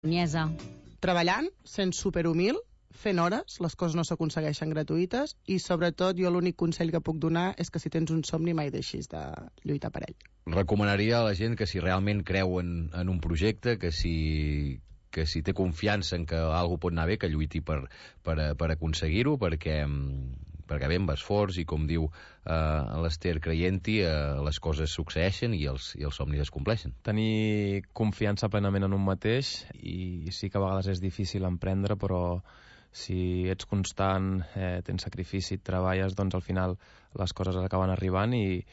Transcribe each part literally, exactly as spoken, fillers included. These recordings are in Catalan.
Niesa. Treballant, sent superhumil, fent hores, les coses no s'aconsegueixen gratuïtes i sobretot jo l'únic consell que puc donar és que si tens un somni mai deixis de lluitar per ell. Recomanaria a la gent que si realment creu en, en un projecte, que si, que si té confiança en que alguna pot anar bé, que lluiti per, per, per aconseguir-ho, perquè, perquè bé, amb esforç i com diu eh, l'Ester creient-hi, eh, les coses succeeixen i els, i els somnis es compleixen. Tenir confiança plenament en un mateix, i sí que a vegades és difícil emprendre, però si ets constant, eh, tens sacrifici, treballes, doncs al final les coses acaben arribant i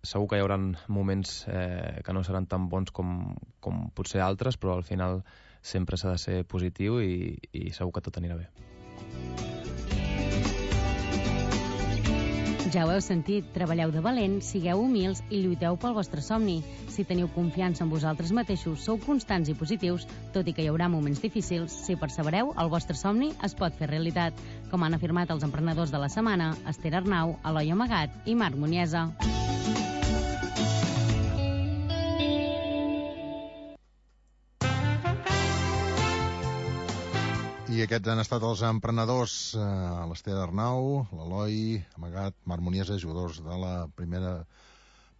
segur que hi haurà moments eh, que no seran tan bons com, com potser altres, però al final sempre s'ha de ser positiu i, i segur que tot anirà bé. Ja ho heu sentit, treballeu de valent, sigueu humils i lluiteu pel vostre somni. Si teniu confiança en vosaltres mateixos, sou constants i positius, tot i que hi haurà moments difícils, si persevereu, el vostre somni es pot fer realitat, com han afirmat els emprenedors de la setmana, Ester Arnau, Eloi Amagat i Marc Muniesa. I aquests han estat els emprenedors, eh, l'Ester Arnau, l'Eloi Amagat, Marc Muniesa, jugadors de la primera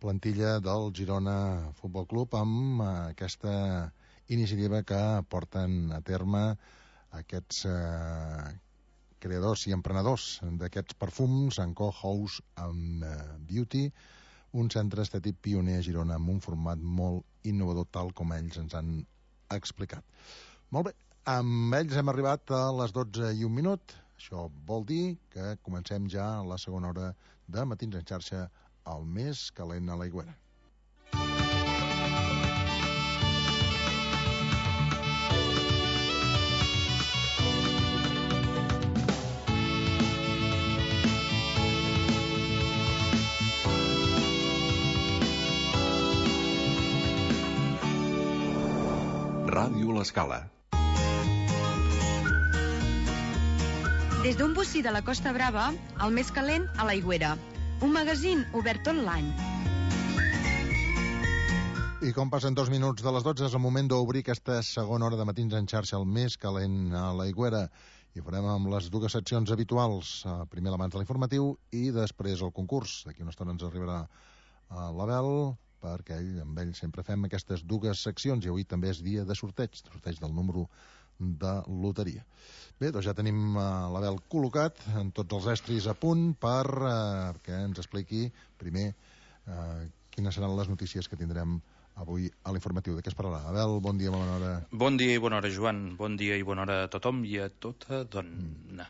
plantilla del Girona Futbol Club, amb eh, aquesta iniciativa que porten a terme aquests eh, creadors i emprenedors d'aquests perfums, Anco House and Beauty, un centre estètic pioner a Girona amb un format molt innovador, tal com ells ens han explicat. Molt bé. Amb ells hem arribat a les dotze i un minut. Això vol dir que comencem ja la segona hora de Matins en xarxa, el més calent a l'Aigüera. Ràdio L'Escala. Des d'un bocí de la Costa Brava, el més calent a l'Aigüera. Un magazín obert tot l'any. I com passen dos minuts de les dotze, és el moment d'obrir aquesta segona hora de Matins en xarxa, el més calent a l'Aigüera. I ho farem amb les dues seccions habituals. Primer l'abans de l'informatiu i després el concurs. D'aquí una estona ens arribarà l'Abel, perquè ell, amb ell sempre fem aquestes dues seccions, i avui també és dia de sorteig, sorteig del número de loteria. Bé, doncs ja tenim uh, l'Abel col·locat, amb tots els estris a punt per uh, que ens expliqui primer uh, quines seran les notícies que tindrem avui a l'informatiu. De què es parlarà? Abel, bon dia, bona hora. Bon dia i bona hora, Joan. Bon dia i bona hora a tothom i a tota dona. Mm.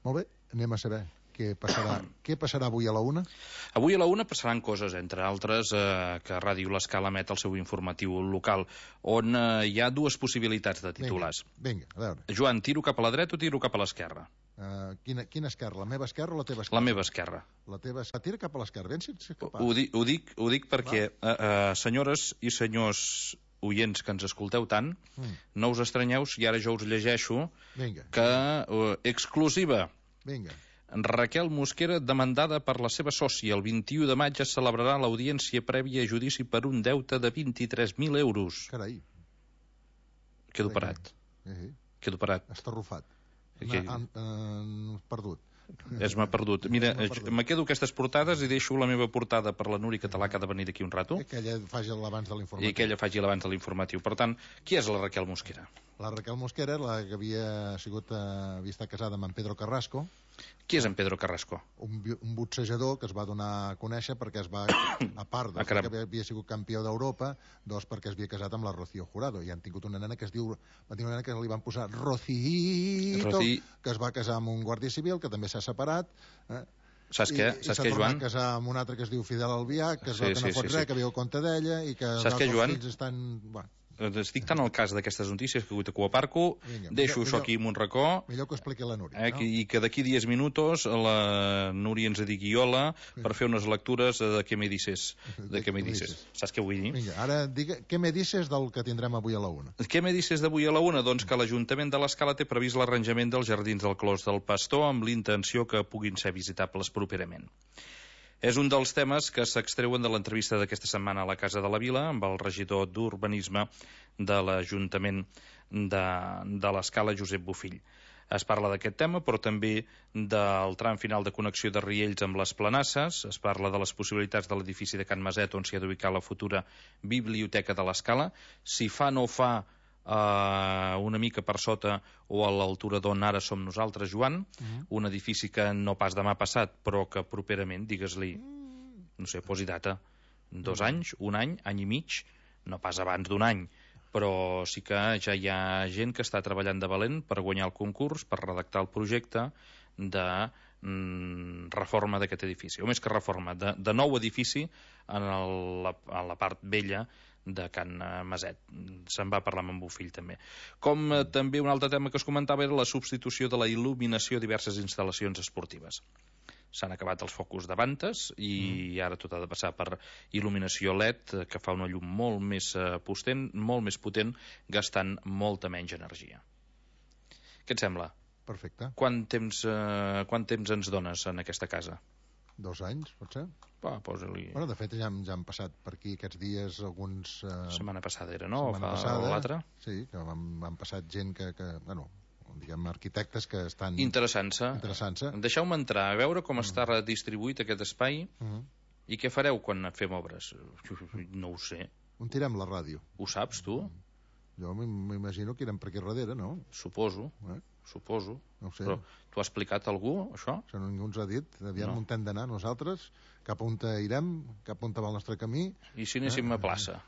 Molt bé, anem a saber què passarà, què passarà avui a la una? Avui a la una passaran coses, entre altres, eh, que Ràdio L'Escala emet el seu informatiu local, on eh, hi ha dues possibilitats de titulars. Vinga, vinga, a veure. Joan, tiro cap a la dreta o tiro cap a l'esquerra? Uh, quina, quina esquerra? La meva esquerra o la teva esquerra? La meva esquerra. La teva esquerra. Tira cap a l'esquerra, ben si ets capaç. Ho, dic, ho, dic, ho dic perquè, uh, uh, senyores i senyors oients que ens escolteu tant, mm. no us estranyeu si ara jo us llegeixo Vinga. que uh, exclusiva. Vinga. Raquel Mosquera demandada per la seva sòcia. El vint-i-u de maig es celebrarà l'audiència prèvia a judici per un deute de vint-i-tres mil euros. Carai. Quedo parat. Eh, Quedo parat. Estarrufat. Que... Han, han perdut. Es m'ha perdut. Mira, me quedo aquestes portades i deixo la meva portada per la Núria Català, que ha de venir d'aquí un rato. I que ella faci l'abans de l'informatiu. I que ella faci l'abans de l'informatiu. Per tant, qui és la Raquel Mosquera? La Raquel Mosquera, la que havia sigut, eh, havia estat casada amb en Pedro Carrasco. Qui és en Pedro Carrasco? Un, un boxejador que es va donar a conèixer perquè es va, a part de ah, que havia, havia sigut campió d'Europa, dos perquè es havia casat amb la Rocío Jurado, i han tingut una nena que es diu, va tenir una nena que li van posar Rocito, Rocí... que es va casar amb un guàrdia civil, que també s'ha separat, eh? Saps què, I, saps i què, Joan? I s'ha tornat a casar amb un altre que es diu Fidel Albià, que es sí, veu que no sí, fot sí, res, sí. que viu a compte d'ella, i que saps què, Joan? Els fills estan... Bueno. Estic tant al cas d'aquestes notícies que avui aparco, Vinga, deixo millor, això aquí en un racó, millor que ho expliqui la Núria, eh, no? i que d'aquí diez minutos la Núria ens digui hola per fer unes lectures de què me dices, de què me dices. Saps què vull dir? Vinga, ara digue, què me dices del que tindrem avui a la una? Què me dices d'avui a la una? Doncs que l'Ajuntament de l'Escala té previst l'arranjament dels jardins del Clos del Pastor amb l'intenció que puguin ser visitables properament. És un dels temes que s'extreuen de l'entrevista d'aquesta setmana a la Casa de la Vila amb el regidor d'Urbanisme de l'Ajuntament de, de l'escala Josep Bofill. Es parla d'aquest tema, però també del tram final de connexió de Riells amb les Planasses, es parla de les possibilitats de l'edifici de Can Maset on s'hi ha d'ubicar la futura biblioteca de l'escala, si fa no fa eh, una mica per sota o a l'altura d'on ara som nosaltres, Joan, uh-huh. un edifici que no pas demà passat, però que properament, digues-li, no sé, posi data, dos uh-huh. anys, un any, any i mig, no pas abans d'un any, però sí que ja hi ha gent que està treballant de valent per guanyar el concurs, per redactar el projecte de mm, reforma d'aquest edifici, o més que reforma, de, de nou edifici en, el, la, en la part vella de Can Maset. Se'n va parlar amb en Bofill també. Com eh, també un altre tema que es comentava era la substitució de la il·luminació a diverses instal·lacions esportives. S'han acabat els focus de vantes i mm. ara tot ha de passar per il·luminació L E D, que fa una llum molt més potent, molt més potent, gastant molta menys energia. Què et sembla? Perfecte. Quant temps, eh, quant temps ens dones en aquesta casa? Dos anys, pot ser? Va, posa-li... Bueno, de fet, ja, ja han passat per aquí aquests dies alguns... Eh... Setmana passada era, no? Setmana Fa passada, l'altra? Sí, que han, han passat gent que... que bueno, diguem, arquitectes que estan... Interessant-se. Interessant-se. Deixeu-me entrar a veure com mm. està redistribuït aquest espai mm. i què fareu quan fem obres. No ho sé. On tirem la ràdio? Ho saps, tu? Mm. Jo m'imagino que irem per aquí darrere, no? Suposo, eh? suposo. No ho sé. Però t'ho ha explicat algú, això? Això ningú ens ha dit. Aviam no. on hem d'anar nosaltres, cap on irem, cap on va el nostre camí. I si anéssim eh? a plaça?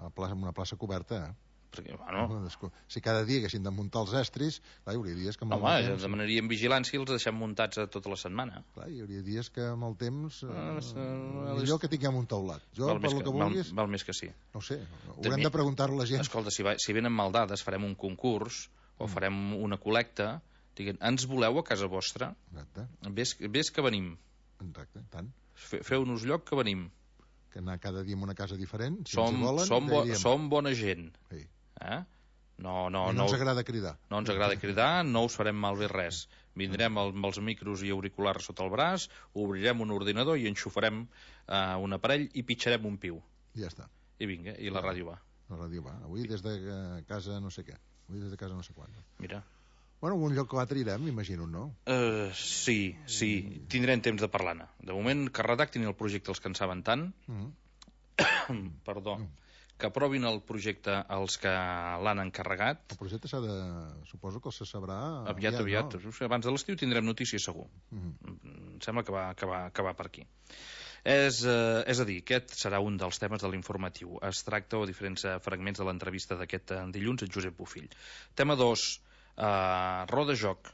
A plaça, una plaça coberta, eh? Perquè, bueno... Si cada dia haguessin de muntar els estris, clar, hi hauria dies que amb el Home, temps... demanaríem vigilància i els deixem muntats a tota la setmana. Clar, hi hauria dies que amb el temps... Eh, ah, millor que tinguem un teulat. Jo, val per que, el que vulguis... Val, val més que sí. No ho sé, haurem També... de preguntar-ho a la gent. Escolta, si, va, si venen mal dades, farem un concurs o mm. farem una col·lecta, diguem, ens voleu a casa vostra? Exacte. Ves, ves que venim. Exacte, tant. Fe, Feu-nos lloc que venim. Que anar cada dia en una casa diferent, si som, ens hi volen... Som, bo, som bona gent. Sí. Eh? No, no, I no, no ens agrada cridar. No ens agrada cridar, no us farem malbé res. Vindrem el, amb els micros i auriculars sota el braç, obrirem un ordinador i enxufarem uh, un aparell i pitjarem un piu. Ja està. I vinga, i la ràdio va. La ràdio va. Avui des de casa no sé què. Avui des de casa no sé quan. Mira. Bueno, un lloc que l'altre irem, m'imagino, no? Uh, sí, sí. Tindrem temps de parlar-ne. De moment, que redactin el projecte els que en saben tant. Mm. Perdó. Mm. que aprovin el projecte els que l'han encarregat. El projecte s'ha de... suposo que se sabrà... Aviat, aviat. No? Abans de l'estiu tindrem notícies segur. Mm-hmm. Em sembla que va, que va, que va per aquí. És, eh, és a dir, aquest serà un dels temes de l'informatiu. Es tracta o diferents fragments de l'entrevista d'aquest dilluns a Josep Bofill. Tema dos, eh, roda joc.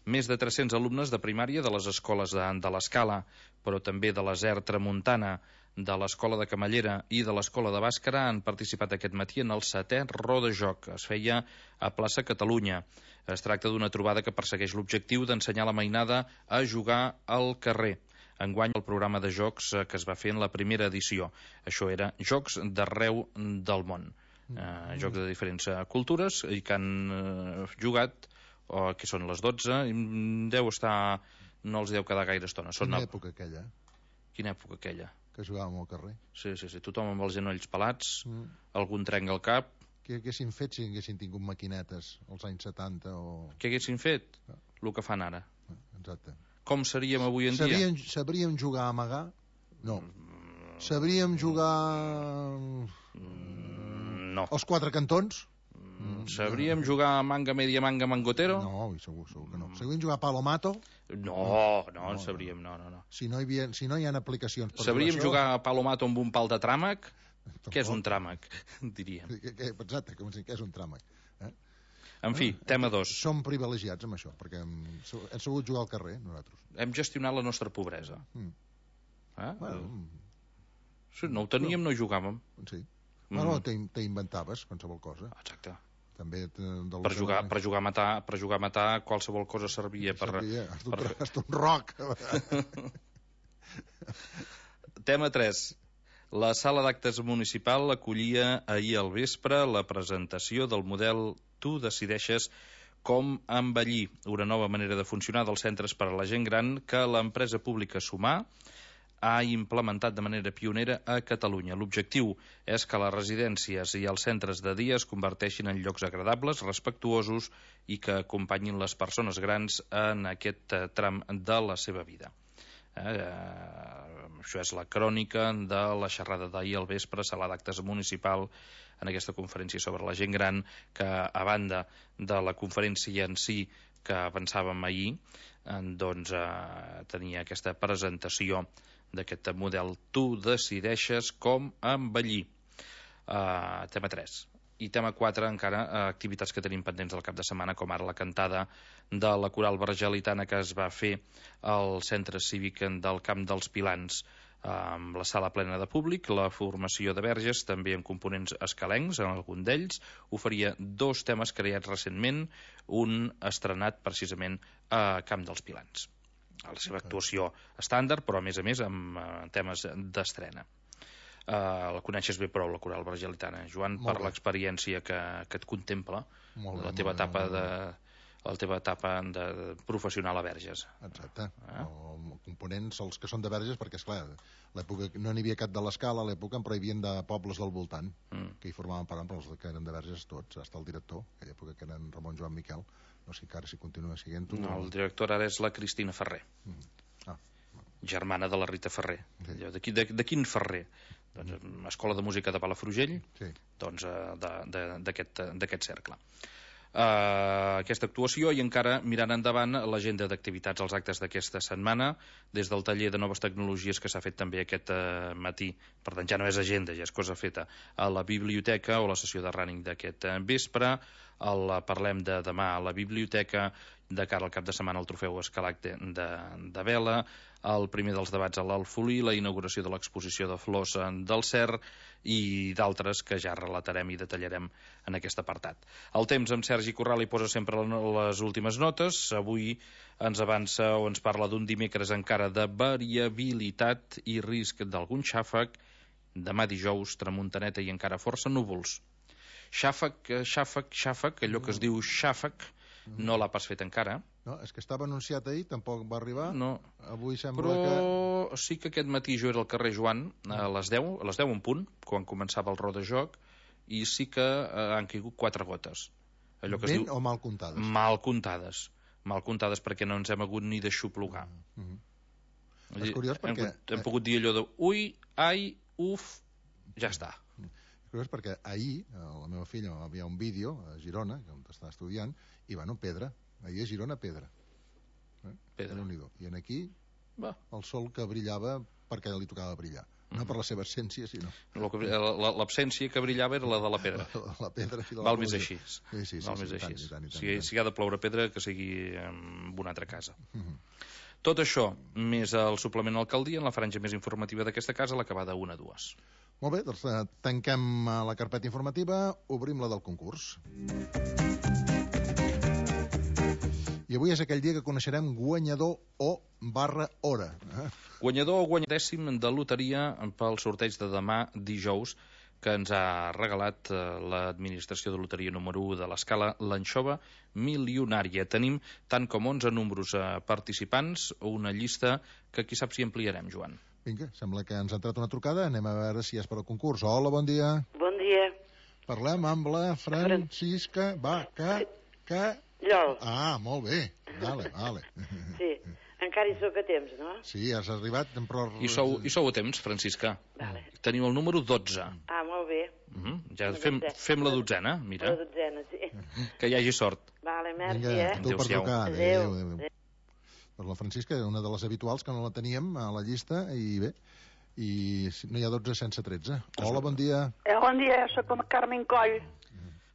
Més de tres-cents alumnes de primària de les escoles de, de l'Escala, però també de la Z E R Tramuntana, de l'Escola de Camallera i de l'Escola de Bàscara han participat aquest matí en el setè Roda Joc. Es feia a plaça Catalunya. Es tracta d'una trobada que persegueix l'objectiu d'ensenyar la mainada a jugar al carrer. Enguany el programa de jocs que es va fer en la primera edició. Això era jocs d'arreu del món. Eh, jocs de diferents cultures i que han eh, jugat, o que són les dotze, deu estar... no els deu quedar gaire estona. Són Quina època aquella? Quina època aquella? Que jugàvem al carrer. Sí, sí, sí. Tothom amb els genolls pelats, mm. algun trenc al cap. Què haguessin fet si haguessin tingut maquinetes als anys setanta o... Què haguessin fet? Ah. El que fan ara. Ah, exacte. Com seríem avui en sabríem, dia? Sabríem jugar a amagar? No. Sabríem jugar... Mm, no. Els quatre cantons? Mm, sabríem jugar a manga, media manga, mangotero? No, segur, segur que no. Sabríem jugar a palomato? No, no, no en sabríem, no, no, no. Si no hi, havia, si no hi ha aplicacions per sabríem jugar, jugar a palomato amb un pal de tràmac? Què és un tràmac, diríem. Exacte, com si què és un tràmac. Eh? En fi, eh, tema dos. Som privilegiats amb això, perquè hem, hem sabut jugar al carrer, nosaltres. Hem gestionat la nostra pobresa. Mm. Eh? Bueno, sí, no ho teníem, no hi jugàvem. Sí. Mm. Bueno, t'inventaves qualsevol cosa. Exacte. També per jugar, per jugar a matar, per jugar a matar qualsevol cosa servia per... Servia, hasta un, per... hasta un roc. Tema tres. La sala d'actes municipal acollia ahir al vespre la presentació del model Tu decideixes com envellir, una nova manera de funcionar dels centres per a la gent gran que l'empresa pública Sumar ha implementat de manera pionera a Catalunya. L'objectiu és que les residències i els centres de dia es converteixin en llocs agradables, respectuosos i que acompanyin les persones grans en aquest tram de la seva vida. Eh, això és la crònica de la xerrada d'ahir al vespre, sala d'actes municipal, en aquesta conferència sobre la gent gran, que a banda de la conferència en si que avançàvem ahir, doncs eh, tenia aquesta presentació d'aquest model Tu decideixes com envellir. Uh, tema tres. I tema quatre, encara, uh, activitats que tenim pendents del cap de setmana, com ara la cantada de la coral vergelitana que es va fer al centre cívic del Camp dels Pilans, uh, amb la sala plena de públic, la formació de verges, també amb components escalencs, en algun d'ells, oferia dos temes creats recentment, un estrenat precisament a Camp dels Pilans. A la seva actuació estàndard, però a més a més amb uh, temes d'estrena. Uh, la coneixes bé prou, la coral vergelitana, Joan, molt per l'experiència que, que et contempla, molt la bé, teva etapa de la teva etapa de professional a Verges. Exacte. Eh? Els components, els que són de Verges, perquè, esclar, l'època no n'hi havia cap de l'Escala, a l'època, però hi havia de pobles del voltant, mm. que hi formaven part, però els que eren de Verges tots, hasta el director, aquella època que eren Ramon Joan Miquel, no sé encara si continua siguent-ho. No, el director ara és la Cristina Ferrer, mm. ah. germana de la Rita Ferrer. Sí. De, de, de quin Ferrer? Doncs, Escola de Música de Palafrugell, sí. doncs d'aquest cercle. Uh, aquesta actuació i encara mirant endavant l'agenda d'activitats, els actes d'aquesta setmana, des del taller de noves tecnologies que s'ha fet també aquest uh, matí, per tant ja no és agenda, ja és cosa feta, a la biblioteca, o la sessió de running d'aquest uh, vespre, el parlem de demà a la biblioteca, de cara al cap de setmana el trofeu Escalac de, de, de vela, el primer dels debats a l'Alfolí, la inauguració de l'exposició de flors del Cer i d'altres que ja relatarem i detallarem en aquest apartat. El temps amb Sergi Corral hi posa sempre les últimes notes. Avui ens avança o ens parla d'un dimecres encara de variabilitat i risc d'algun xàfec. Demà dijous, tramuntaneta i encara força núvols. Xàfec, xàfec, xàfec, allò que es diu xàfec, no l'ha pas fet encara. No, és que estava anunciat ahir, tampoc va arribar. No. Avui sembla però que... Però sí que aquest matí jo era al carrer Joan a les deu, a les deu en punt, quan començava el rodajoc, i sí que eh, han caigut quatre gotes. Allò que ben es diu... o mal comptades? Mal comptades. Mal comptades perquè no ens hem hagut ni d'aixoplugar. Mm -hmm. És curiós perquè... Hem, hem pogut dir allò de ui, ai, uf, ja està. És curiós perquè ahir, la meva filla va enviar un vídeo a Girona, on està estudiant, i bueno, pedra. Ahir a Girona, pedra. Eh? Pedra. I en aquí, va. El sol que brillava perquè li tocava brillar. No per la seva essència, sinó... L'absència que brillava era la de la pedra. La, la pedra i de la Val més així. Sí, sí, sí. Val sí, més sí, així. Tant, i tant, i tant, si, i tant. si ha de ploure pedra, que sigui en una altra casa. Uh -huh. Tot això, més el suplement Alcaldia, en la franja més informativa d'aquesta casa, l'acabada una a dues. Molt bé, doncs eh, tanquem la carpeta informativa, obrim la del concurs. I avui és aquell dia que coneixerem guanyador o barra hora. Eh? Guanyador o guanyadèssim de loteria pel sorteig de demà dijous, que ens ha regalat eh, l'administració de loteria número u de l'Escala, l'anxova milionària. Tenim tant com onze números eh, participants, una llista que qui sap si ampliarem, Joan. Vinga, sembla que ens ha entrat una trucada. Anem a veure si és per al concurs. Hola, bon dia. Bon dia. Parlem amb la Francisca. Va, que... que... Jo. Ah, molt bé. Vale, vale. Sí, encara hi sóc a temps, no? Sí, has arribat, però... I sou, i sou a temps, Francisca. Vale. Teniu el número dotze. Ah, molt bé. Uh -huh. Ja fem, fem la dotzena, mira. La dotzena, sí. Que hi hagi sort. Vale, merci, Vinga, eh? tu per trucar. Adéu. Adéu, adéu. adéu. Doncs la Francisca és una de les habituals que no la teníem a la llista, i bé, i no hi ha dotze sense tretze. Hola, bon dia. Eh, bon dia, sóc la Carmen Coll.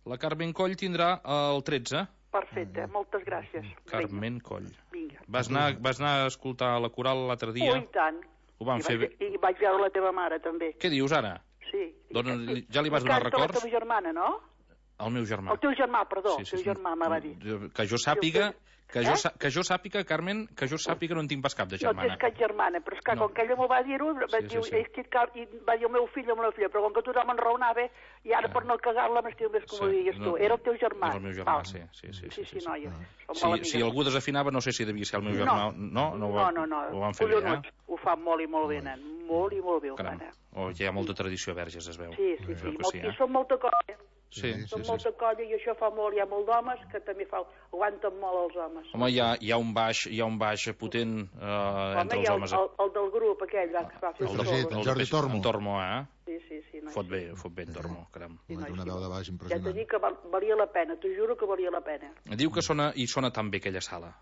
La Carmen Coll tindrà el tretze. Perfecte, moltes gràcies. Carmen Coll. Vinga. Vas anar, vas anar a escoltar la coral l'altre dia? Oh, i tant. Ho vam I fer vaig, bé. I vaig veure la teva mare, també. Què dius, ara? Sí. Dona, ja li vas donar records? La teva germana, no? El meu germà. El teu germà, perdó, Sí, el sí, teu sí. germà me va dir. Que jo sàpiga, que jo, Eh? sa- que jo sàpiga, Carmen, que jo sàpiga no en tinc pas cap de No germana. tens cap germana, però és que No. com que ella m'ho va dir-ho, va Sí, sí, dir, sí. és que cal- i va dir el meu fill o la meva filla, però com que tothom enraonava, i ara per no cagar-la m'estiu més com ho diguis tu. Era el teu germà. Era el meu germà, Val. sí. Sí, sí, Sí, sí, noia. Som Si, molt amigues. si algú desafinava, no sé si devia ser el meu germà. No, no, ho va- no, no, ho van fer bé, Collonuts. eh? Ho fan molt i molt bé, nen. Molt i molt bé ho fan, Caram. eh? Oh, hi ha molta tradició a Verges, es veu. Sí, sí, Es sí. veu que Molt, sí, I eh? són molta colla. Sí, Són sí, sí. molta colla i això fa molt. Hi ha molt d'homes que també fa, aguanten molt els homes. Home, hi ha, hi ha un baix, hi ha un baix potent eh, Home, entre hi els ha homes. el, el, el del grup, aquell, va, que va fer El el, de- Jordi- solo. el Jordi peix- Tormo. En Tormo, eh? Sí, sí, sí. No, Fot bé, fot bé en Tormo, caram. Sí, no, Una sí. veu de baix Ja t'he impressionant. dit que val, valia la pena, t'ho juro que valia la pena. Diu que sona, i sona tan bé aquella sala.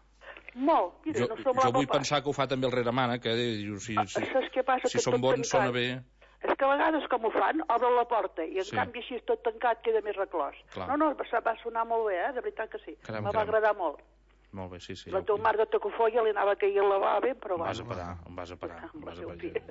Molt, mira, Jo, no jo semblava vull pas. pensar que ho fa també el Reremana, que diu, si, si, Saps què passa? si Que són tot bons, sona tancat. bé. És que a vegades com ho fan, obren la porta i en Sí. canvi així tot tancat queda més reclòs. Clar. No, no, va, va sonar molt bé, eh? De veritat que sí. Caram, Me va caram. agradar molt. Molt bé, sí, sí. La teva mare de Tacofolla li anava caient la bava, però Em vas a bueno. parar, em vas a parar. Em Amb vas a el parar. seu fill.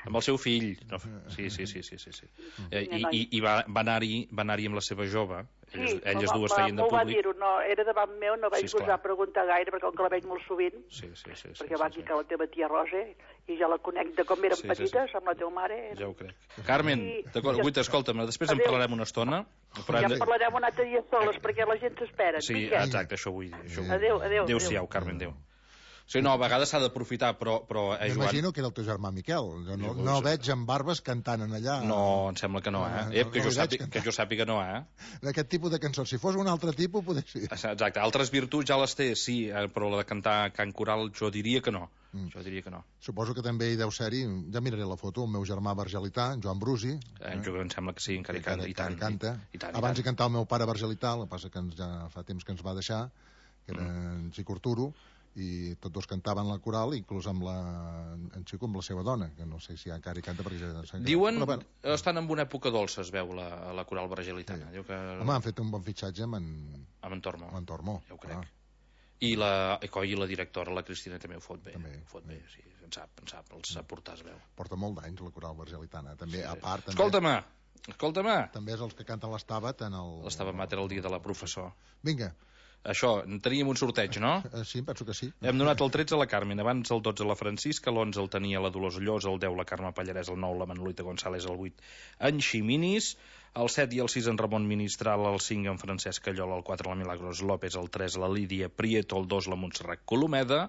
Amb el seu fill. No, sí, sí, sí, sí, sí, sí. Eh, I, i, i va, va anar-hi va anar amb la seva jove. Elles, Sí, elles va- dues va- feien de m'ho va públic. dir-ho, no, era davant meu, no vaig Sí, esclar. gosar preguntar gaire, perquè com que la veig molt sovint, Sí, sí, sí. sí perquè sí, va sí. aquí que la teva tia Rosa, i ja la conec de com eren Sí, sí, petites, amb la teva mare. Ja ho crec. Carmen, I- d'acord, i- Guita, escolta'm, després en Adéu. parlarem una estona. Però hem Ja de... parlarem un altre dia soles, perquè la gent s'espera. Sí, Vinga. exacte, això vull dir. Això vull dir. Adéu, adéu. Adéu-siau, Carmen, adéu. Sí, no, a vegades s'ha d'aprofitar, però, però eh, Joan... M'imagino que era el teu germà Miquel. Jo no, Jo no sé. veig amb barbes cantant en allà. No, em sembla que no, Ah, eh? eh no, que, no jo li veig sàpiga, cantar. que jo sàpiga no, eh? D'aquest tipus de cançons. Si fos un altre tipus, potser sí. Exacte, altres virtuts ja les té, sí, eh, però la de cantar cant coral jo diria que no. Mm. Jo diria que no. Suposo que també hi deu ser-hi, ja miraré la foto, el meu germà vergelità, en Joan Brusi. Eh, jo em sembla que sí, encara hi canta, i tant. canta. I, i tant, i Abans tant. hi cantava el meu pare vergelità, el que passa que ens, ja fa temps que ens va deixar, que era en Xico Arturo, i tots dos cantaven la coral, inclús amb la, en Xico amb la seva dona, que no sé si encara hi canta perquè ja s'ha Diuen, Però, bueno, estan en una època dolça, es veu, la, la coral vergelitana. Diu que... home, han fet un bon fitxatge amb en, Amb en Tormo. amb en Tormo. Ja ho crec. clar. I la, i coi, la directora, la Cristina, també ho fot bé. També. Ho fot bé, sí, en sap, en sap, els sap portar, es veu. Porta molt d'anys la coral vergelitana. També, Sí. a part, també, Escolta-me, escolta-me. també és els que canten l'Estabat en el... L'estava mater el dia de la professor. Vinga, Això, teníem un sorteig, no? eh, sí, penso que sí. Hem donat el tretze a la Carmen, abans el dotze a la Francisca, l'onze el tenia la Dolors Llos, el deu la Carme Pallarès, el nou la Manolita González, el vuit en Ximinis, el set i el sis en Ramon Ministral, el cinc en Francesc Callola, el quatre la Milagros López, el tres la Lídia Prieto, el dos la Montserrat Colomeda,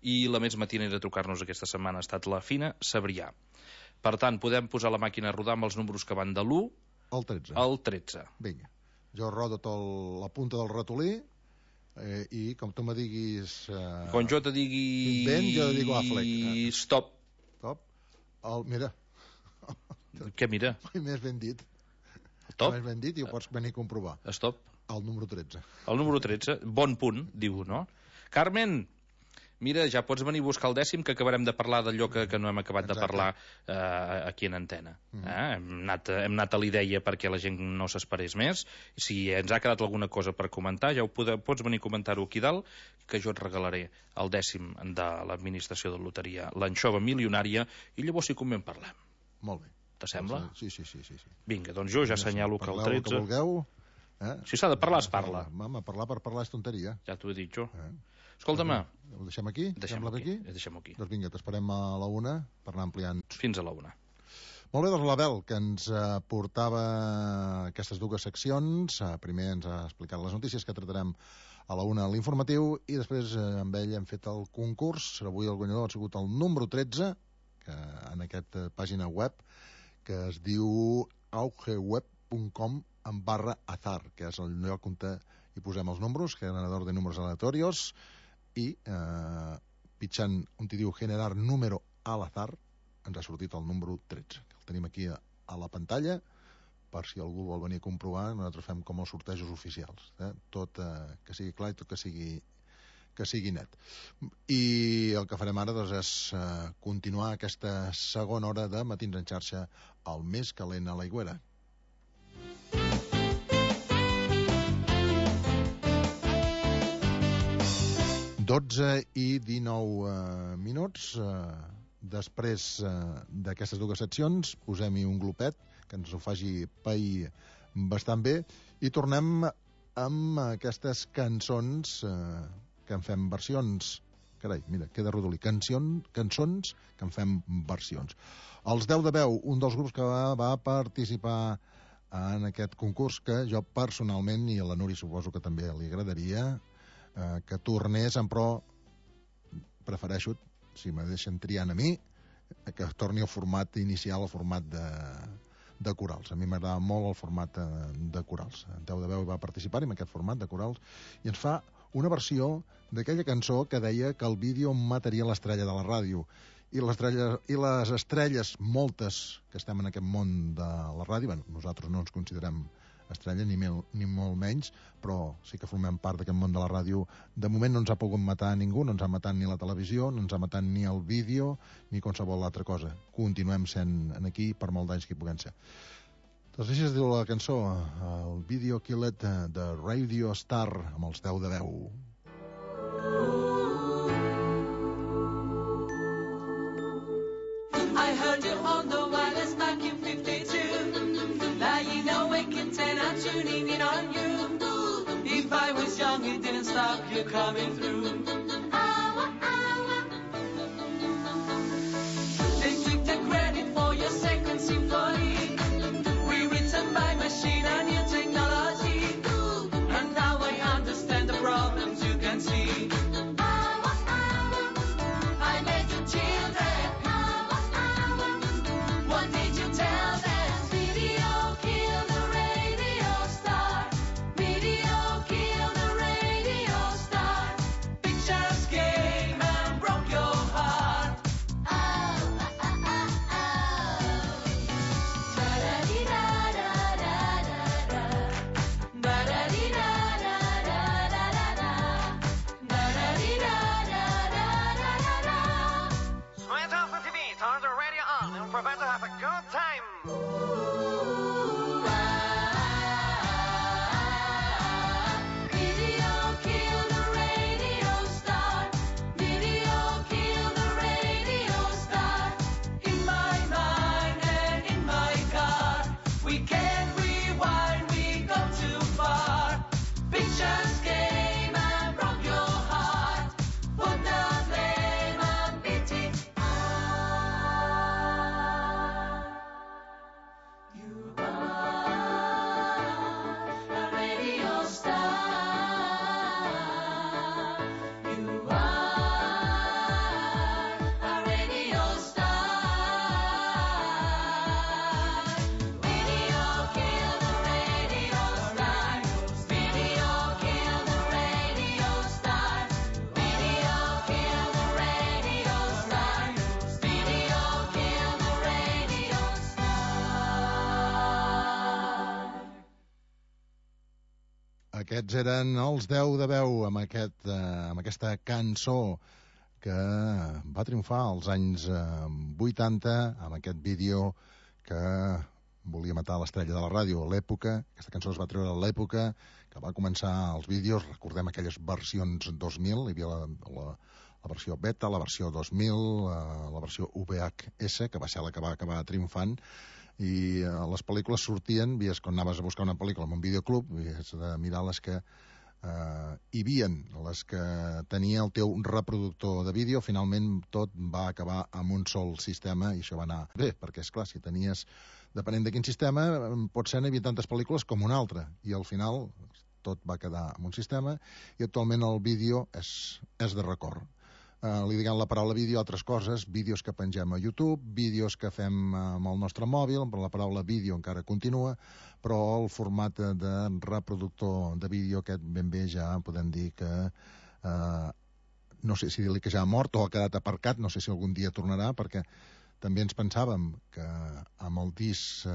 i la més matinera a trucar-nos aquesta setmana ha estat la Fina Sabrià. Per tant, podem posar la màquina a rodar amb els números que van de l'u El tretze. al tretze. Vinga. Jo rodo tot el, la punta del ratolí eh, i com tu me diguis... Eh, Quan jo te digui... Ben, jo digo Affleck. Stop. Top. El, mira, Què mira? més ben dit. Top? Més ben dit i ho pots venir a comprovar. Stop. El número tretze. El número tretze, bon punt, diu, no? Carmen, mira, ja pots venir a buscar el dècim, que acabarem de parlar d'allò que, que no hem acabat Exacte. de parlar eh, aquí en antena. Mm. Eh? Hem, anat, hem anat a l'idea perquè la gent no s'esperés més. Si ens ha quedat alguna cosa per comentar, ja ho pode, pots venir a comentar-ho aquí dalt, que jo et regalaré el dècim de l'administració de loteria, l'anxova milionària, i llavors sí que en parlem. Molt bé. T'assembla? Sí, sí, sí, sí, sí. Vinga, doncs jo ja assenyalo que el Parleu tretze... que vulgueu. Eh? Si s'ha de parlar, es parla. Home, parlar per parlar és tonteria. Ja t'ho he dit jo. Eh? Escolta-me, Ho deixem aquí? deixem-ho Sembla aquí. aquí? Deixem-ho aquí. Doncs vinga, t'esperem a la una per anar ampliant. Fins a la una. Molt bé, doncs l'Abel, que ens eh, portava aquestes dues seccions. Eh, primer ens ha explicat les notícies que tratarem a la una a l'informatiu i després eh, amb ell hem fet el concurs. Avui el guanyador ha sigut el número tretze, que en aquesta pàgina web que es diu augeweb punt com en barra azar, que és el lloc on hi posem els números, generador de números aleatorios, i eh, pitjant on hi diu generar número al azar ens ha sortit el número tretze, que el tenim aquí a, a la pantalla per si algú vol venir a comprovar. Nosaltres fem com els sortejos oficials, eh? Tot eh, que sigui clar i tot que sigui que sigui net. I el que farem ara doncs, és eh, continuar aquesta segona hora de Matins en xarxa, el més calent a l'Aigüera. dotze i dinou eh, minuts. Eh, després eh, d'aquestes dues seccions posem-hi un glopet que ens ho faci pair bastant bé I tornem amb aquestes cançons eh, que en fem versions. Carai, mira, queda rodolí. Cancions, cançons que en fem versions. Els deu de veu, un dels grups que va, va participar en aquest concurs, que jo personalment, i a la Núria suposo que també li agradaria, eh, que tornés, però prefereixo, si me deixen triant a mi, que torni al format inicial, al format de, de corals. A mi m'agrada molt el format de, de corals. En Deu de Veu va participar en aquest format de corals i ens fa una versió d'aquella cançó que deia que el vídeo mataria l'estrella de la ràdio. I les, I les estrelles, moltes que estem en aquest món de la ràdio, bueno, nosaltres no ens considerem estrella, ni, mil, ni molt menys, però sí que formem part d'aquest món de la ràdio. De moment no ens ha pogut matar ningú, no ens ha matat ni la televisió, no ens ha matat ni el vídeo, ni qualsevol altra cosa. Continuem sent aquí per molt d'anys que hi puguem ser. Doncs així es diu la cançó, el Video Killed de Radio Star, amb els deu de veu. I heard you on the wireless back in fifty-two. Lying awake at ten, I'm tuning in on you. If I was young, it didn't stop you coming through. Hour, hour. They took the credit for your second symphony, rewritten by machine and new technology. And now I understand the problems you can see. Hour, hour. I made you children. What did you tell them? Video killed the radio star. Video killed the radio star. Pictures came and broke your heart. Oh, ah, ah, ah, oh. Da-da-dee-da-da-da-da-da. Da-da-dee-da-da-da-da-da-da. Da-da-dee-da-da-da-da-da-da. Switch off the T V, turn the radio on, and prepare to have a good time. Video killed the radio star. Video killed the radio star. In my mind and in my car, we can't rewind, we go too far. Pictures came and broke your heart. Put the blame on B T R. You are a radio star. You are a radio star. Video killed the radio star. Video killed the radio star. Video killed the radio star. Video killed the radio star. Aquests eren els deu de veu amb, aquest, eh, amb aquesta cançó que va triomfar als anys eh, vuitanta amb aquest vídeo que volia matar l'estrella de la ràdio a l'època. Aquesta cançó es va treure a l'època que va començar els vídeos. Recordem aquelles versions dos mil, hi havia la, la, la versió beta, la versió dos mil, eh, la versió V H S, que va ser la que va acabar triomfant, i eh, les pel·lícules sortien, vies quan anaves a buscar una pel·lícula en un videoclub, vies de mirar les que eh, hi havien, les que tenia el teu reproductor de vídeo. Finalment tot va acabar amb un sol sistema i això va anar bé, perquè és clar, si tenies, depenent de quin sistema, pot ser n'hi havia tantes pel·lícules com un altre, i al final tot va quedar en un sistema, i actualment el vídeo és, és de record. Uh, li diguem la paraula vídeo a altres coses, vídeos que pengem a YouTube, vídeos que fem amb el nostre mòbil, però la paraula vídeo encara continua, però el format de reproductor de vídeo aquest ben bé ja podem dir que uh, no sé si dir-li que ja ha mort o ha quedat aparcat, no sé si algun dia tornarà, perquè també ens pensàvem que amb el disc, uh,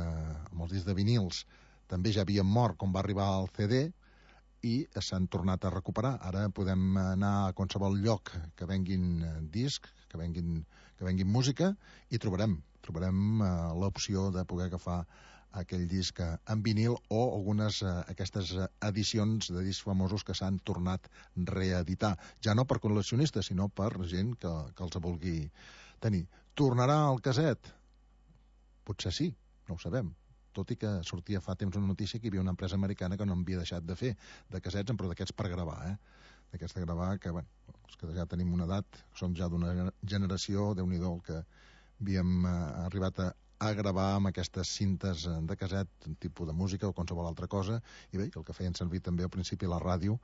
amb els discs de vinils també ja havien mort com va arribar al C D, i s'han tornat a recuperar. Ara podem anar a qualsevol lloc que venguin disc, que venguin, que venguin música, i trobarem, trobarem uh, l'opció de poder agafar aquell disc en vinil o algunes uh, aquestes edicions de discs famosos que s'han tornat reeditar. Ja no per col·leccionistes, sinó per gent que, que els vulgui tenir. Tornarà al caset? Potser sí, no ho sabem. tot i que sortia fa temps una notícia que hi havia una empresa americana que no havia deixat de fer de cassets, però d'aquests per gravar, eh? D'aquests de gravar, que, bueno, els que ja tenim una edat, som ja d'una generació, Déu-n'hi-do, el que havíem eh, arribat a, a gravar amb aquestes cintes de casset, un tipus de música o qualsevol altra cosa, i bé, el que feien servir també al principi la ràdio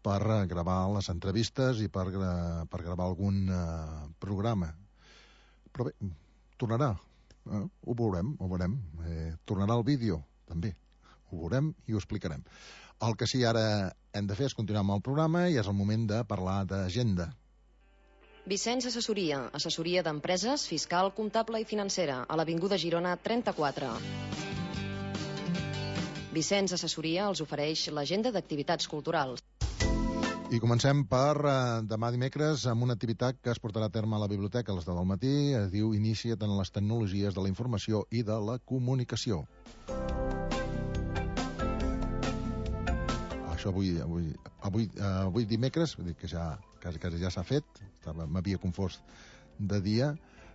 per eh, gravar les entrevistes i per, eh, per gravar algun eh, programa. Però bé, tornarà, eh? ho veurem, ho veurem. Eh, tornarà el vídeo, també. Ho veurem i ho explicarem. El que sí ara hem de fer és continuar amb el programa i és el moment de parlar d'agenda. Vicenç Assessoria, assessoria d'empreses, fiscal, comptable i financera, a l'Avinguda Girona trenta-quatre. Vicenç Assessoria els ofereix l'agenda d'activitats culturals. I comencem per eh, demà dimecres amb una activitat que es portarà a terme a la biblioteca a les deu del matí. Es diu Inicia't en les tecnologies de la informació i de la comunicació. Això avui, avui, avui, eh, avui dimecres, vull dir que ja, quasi, quasi ja s'ha fet, m'havia confós de dia,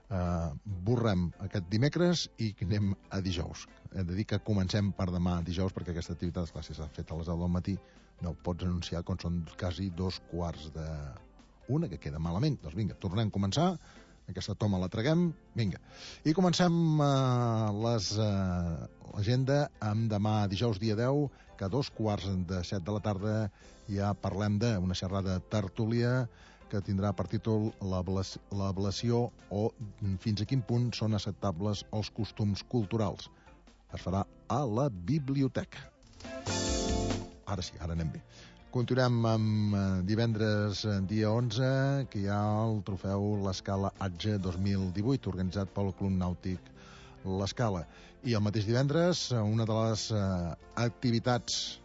eh, borrem aquest dimecres i anem a dijous. Hem de dir que comencem per demà dijous, perquè aquesta activitat, clar, si s'ha fet a les deu del matí, no ho pots anunciar quan són quasi dos quarts de una, que queda malament. Doncs vinga, tornem a començar, aquesta toma la traguem, vinga. I comencem eh, les, eh, l'agenda amb demà dijous dia deu, que a dos quarts de set de la tarda ja parlem d'una xerrada tertúlia que tindrà per títol l'ablació o fins a quin punt són acceptables els costums culturals. Es farà a la biblioteca. Ara sí, ara anem bé. Continuem amb eh, divendres eh, dia onze, que hi ha el trofeu l'Escala Atge dos mil divuit, organitzat pel Club Nàutic l'Escala. I el mateix divendres, eh, una de les eh, activitats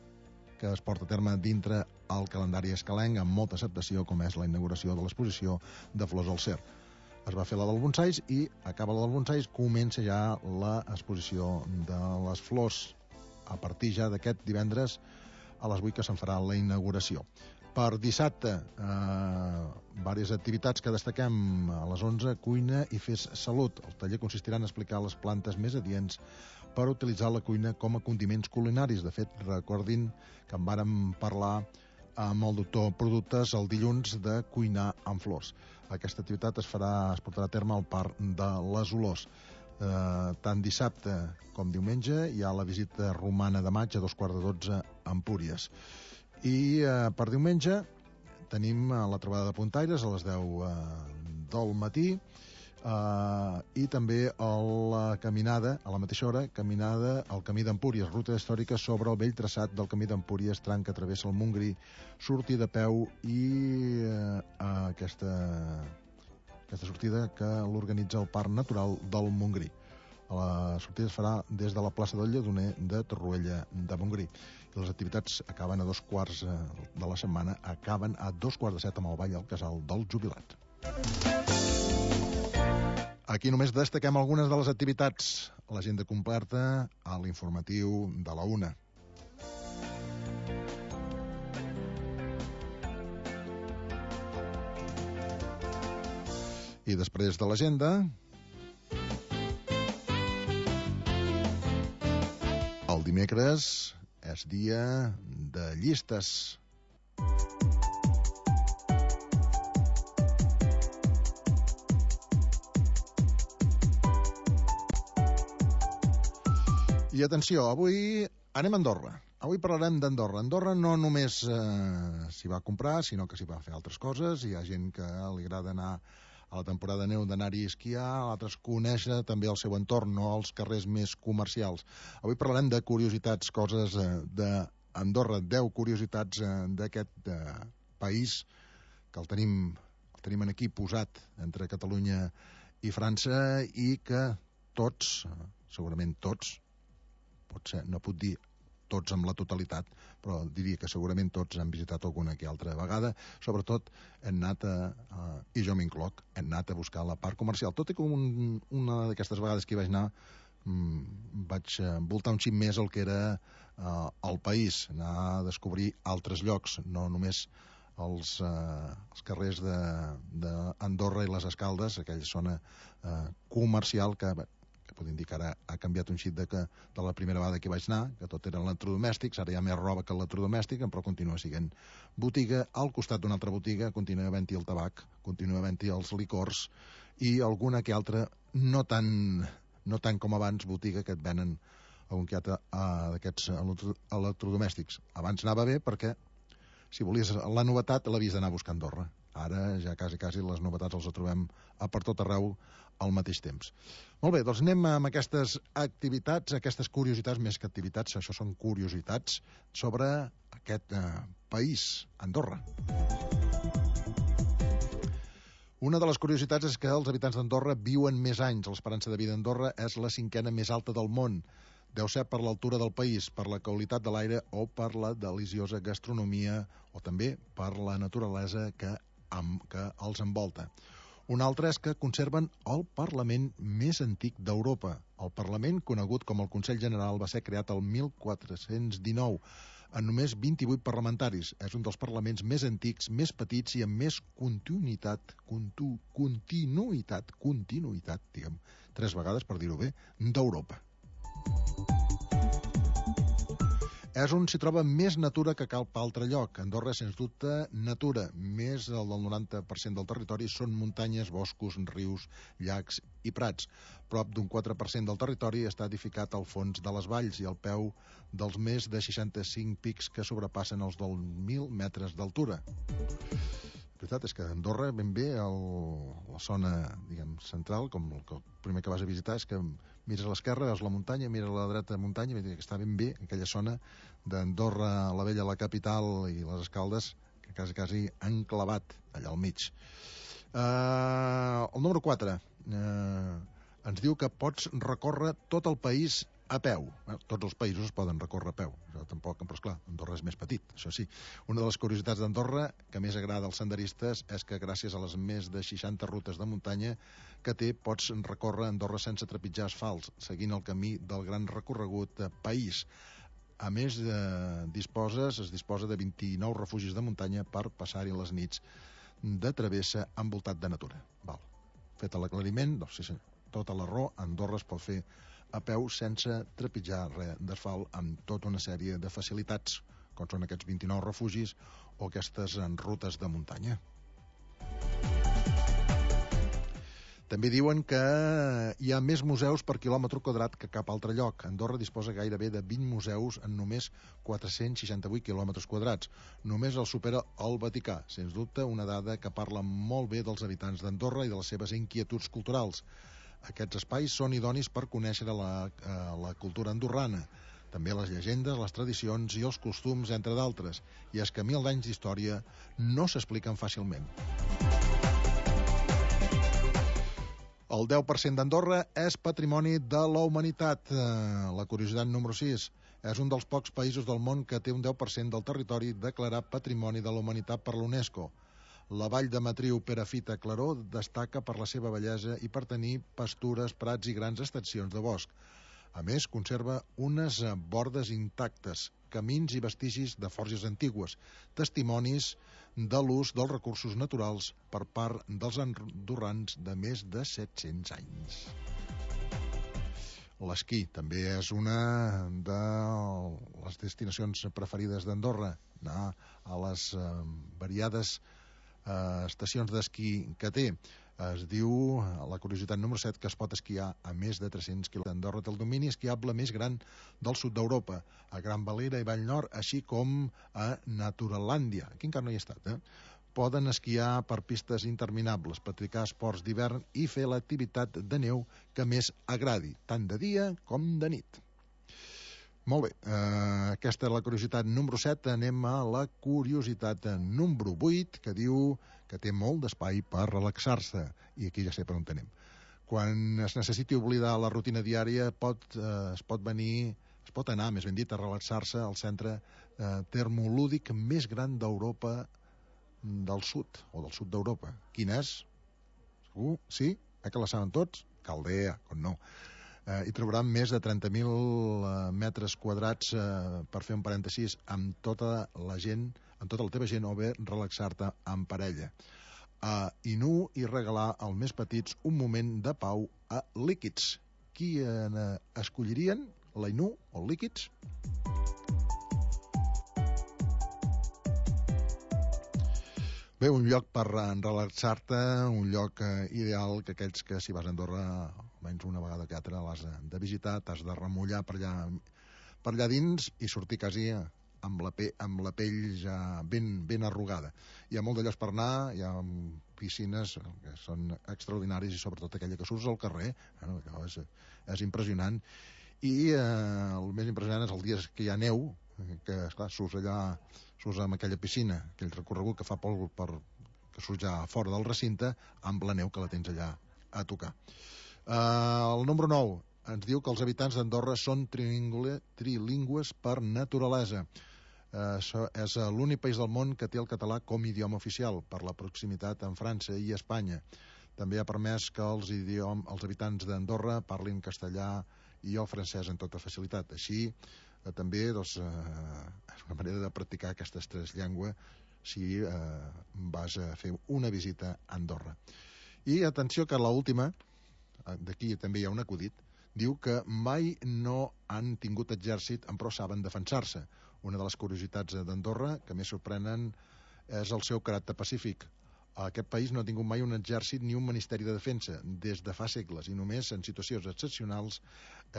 que es porta a terme dintre el calendari escalenc amb molta acceptació, com és la inauguració de l'exposició de Flors al Cer. Es va fer la del bonsais i acaba la del bonsais, comença ja l'exposició de les flors a partir ja d'aquest divendres a les vuit que se'n farà la inauguració. Per dissabte, eh, diverses activitats que destaquem a les onze, cuina i fes salut. El taller consistirà en explicar les plantes més adients per utilitzar la cuina com a condiments culinaris. De fet, recordin que en vàrem parlar amb el doctor Productes el dilluns de cuinar amb flors. Aquesta activitat es farà, es portarà a terme al Parc de les Olors. Eh, tant dissabte com diumenge hi ha la visita romana de maig a dos quarts de dotze a Empúries. I eh, per diumenge tenim eh, la trobada de puntaires a les deu eh, del matí eh, i també a la caminada, a la mateixa hora, caminada al Camí d'Empúries, ruta històrica sobre el vell traçat del Camí d'Empúries, tram que travessa el Montgrí, sortir de peu i eh, aquesta... aquesta sortida que l'organitza el Parc Natural del Montgrí. La sortida es farà des de la plaça del Lledoner de Torroella de Montgrí. I les activitats acaben a dos quarts de la setmana, acaben a dos quarts de set amb el ball al casal del jubilat. Aquí només destaquem algunes de les activitats. L'agenda completa a l'informatiu de la una. I després de l'agenda, el dimecres és dia de llistes. I atenció, avui anem a Andorra. Avui parlarem d'Andorra. Andorra no només eh, s'hi va comprar, sinó que s'hi va fer altres coses. Hi ha gent que li agrada anar a la temporada de neu d'anar-hi a esquiar, altres conèixer també el seu entorn, no els carrers més comercials. Avui parlarem de curiositats, coses eh, d'Andorra, deu curiositats eh, d'aquest eh, país que el tenim, el tenim aquí posat entre Catalunya i França i que tots, eh, segurament tots, potser no puc dir tots amb la totalitat, però diria que segurament tots han visitat alguna que altra vegada. Sobretot hem anat a, a i jo m'incloc, hem anat a buscar la part comercial. Tot i que un, una d'aquestes vegades que hi vaig anar mmm, vaig voltar un xic més el que era uh, el país, anar a descobrir altres llocs, no només els, uh, els carrers d'Andorra i les Escaldes, aquella zona uh, comercial que, que pot indicar ara ha canviat un xic de, que, de la primera vegada que vaig anar, que tot eren electrodomèstics, ara hi ha més roba que electrodomèstic, però continua sent botiga. Al costat d'una altra botiga continua havent-hi el tabac, continua havent-hi els licors i alguna que altra, no tan, no tan com abans, botiga que et venen algun que altre uh, d'aquests electrodomèstics. Abans anava bé perquè si volies la novetat l'havies d'anar a buscar a Andorra. Ara ja quasi, quasi les novetats els trobem a per tot arreu al mateix temps. Molt bé, doncs anem amb aquestes activitats, aquestes curiositats, més que activitats, això són curiositats, sobre aquest eh, país, Andorra. Una de les curiositats és que els habitants d'Andorra viuen més anys. L'esperança de vida d'Andorra és la cinquena més alta del món. Deu ser per l'altura del país, per la qualitat de l'aire o per la deliciosa gastronomia o també per la naturalesa que, amb, que els envolta. Un altre és que conserven el Parlament més antic d'Europa. El Parlament, conegut com el Consell General, va ser creat el mil quatre-cents dinou, amb només vint-i-vuit parlamentaris. És un dels parlaments més antics, més petits i amb més continuïtat, contu, continuïtat, continuïtat, diguem, tres vegades per dir-ho bé, d'Europa. És on s'hi troba més natura que cap altre lloc. Andorra, sens dubte, natura. Més del noranta per cent del territori són muntanyes, boscos, rius, llacs i prats. Prop d'un quatre per cent del territori està edificat al fons de les valls i al peu dels més de seixanta-cinc pics que sobrepassen els deu mil metres d'altura. La veritat és que Andorra, ben bé, el, la zona, diguem, central, com el, el primer que vas a visitar, és que mires a l'esquerra, veus la muntanya, mires a la dreta muntanya, que està ben bé aquella zona d'Andorra, la Vella, la capital i les Escaldes, que quasi, quasi han clavat allà al mig. Uh, el número quatre uh, ens diu que pots recórrer tot el país a peu. Bueno, tots els països es poden recórrer a peu, això tampoc, però esclar, Andorra és més petit, això sí. Una de les curiositats d'Andorra que més agrada als senderistes és que gràcies a les més de seixanta rutes de muntanya que té, pots recórrer Andorra sense trepitjar asfalts, seguint el camí del gran recorregut país. A més, eh, disposes, es disposa de vint-i-nou refugis de muntanya per passar-hi les nits de travessa envoltat de natura. Val. Fet l'aclariment, doncs sí senyor, tota la raó, Andorra es pot fer a peu sense trepitjar res d'asfalt, amb tota una sèrie de facilitats, com són aquests vint-i-nou refugis o aquestes rutes de muntanya. També diuen que hi ha més museus per quilòmetre quadrat que cap altre lloc. Andorra disposa gairebé de vint museus en només quatre-cents seixanta-vuit quilòmetres quadrats. Només el supera el Vaticà. Sens dubte, una dada que parla molt bé dels habitants d'Andorra i de les seves inquietuds culturals. Aquests espais són idonis per conèixer la, eh, la cultura andorrana, també les llegendes, les tradicions i els costums, entre d'altres. I és que mil anys d'història no s'expliquen fàcilment. El deu per cent d'Andorra és patrimoni de la humanitat. La curiositat número sis. És un dels pocs països del món que té un deu per cent del territori declarat patrimoni de la humanitat per l'UNESCO. La vall de Matriu Perafita Claró destaca per la seva bellesa i per tenir pastures, prats i grans extensions de bosc. A més, conserva unes bordes intactes, camins i vestigis de forges antigues, testimonis de l'ús dels recursos naturals per part dels andorrans de més de set-cents anys. L'esquí també és una de les destinacions preferides d'Andorra, anar a les eh, variades Uh, estacions d'esquí que té. Es diu, la curiositat número set, que es pot esquiar a més de tres-cents quilòmetres. Andorra té el domini esquiable més gran del sud d'Europa, a Gran Valira i Vallnord, així com a Naturalàndia. Aquí encara no hi he estat, eh? Poden esquiar per pistes interminables, practicar esports d'hivern i fer l'activitat de neu que més agradi, tant de dia com de nit. Molt bé, eh, aquesta és la curiositat número set. Anem a la curiositat número vuit, que diu que té molt d'espai per relaxar-se. I aquí ja sé per on anem. Quan es necessiti oblidar la rutina diària, pot, eh, es pot venir, es pot anar, més ben dit, a relaxar-se al centre eh, termolúdic més gran d'Europa del sud, o del sud d'Europa. Quin és? Segur? Sí? Eh que la saben tots? Caldea, com no. Eh, hi trobaran més de trenta mil eh, metres quadrats, eh, per fer un parèntesis, amb tota la gent, amb tota la teva gent, o bé relaxar-te en parella. Eh, I nu i regalar als més petits un moment de pau a líquids. qui eh, escollirien? L'Ainú o el Líquids? Bé, un lloc per relaxar-te, un lloc eh, ideal que aquells que si vas a Andorra almenys una vegada que altra l'has de visitar, t'has de remullar per allà, per allà dins i sortir quasi amb la, pe amb la pell ja ben, ben arrugada. Hi ha molt de llocs per anar, hi ha piscines que són extraordinaris i sobretot aquella que surts al carrer, bueno, que és, és impressionant. I eh, el més impressionant és el dia que hi ha neu, que esclar, surts allà, surts amb aquella piscina, aquell recorregut que fa por per, que surts ja fora del recinte amb la neu que la tens allà a tocar. Eh, el número nou ens diu que els habitants d'Andorra són trilingües per naturalesa. Eh, és l'únic país del món que té el català com a idioma oficial, per la proximitat amb França i Espanya. També ha permès que els, idiom, els habitants d'Andorra parlin castellà i el francès amb tota facilitat. Així, eh, també doncs, eh, és una manera de practicar aquestes tres llengües si eh, vas a fer una visita a Andorra. I atenció que l'última, d'aquí també hi ha un acudit, diu que mai no han tingut exèrcit però saben defensar-se. Una de les curiositats d'Andorra que més sorprenen és el seu caràcter pacífic. Aquest país no ha tingut mai un exèrcit ni un ministeri de defensa des de fa segles i només en situacions excepcionals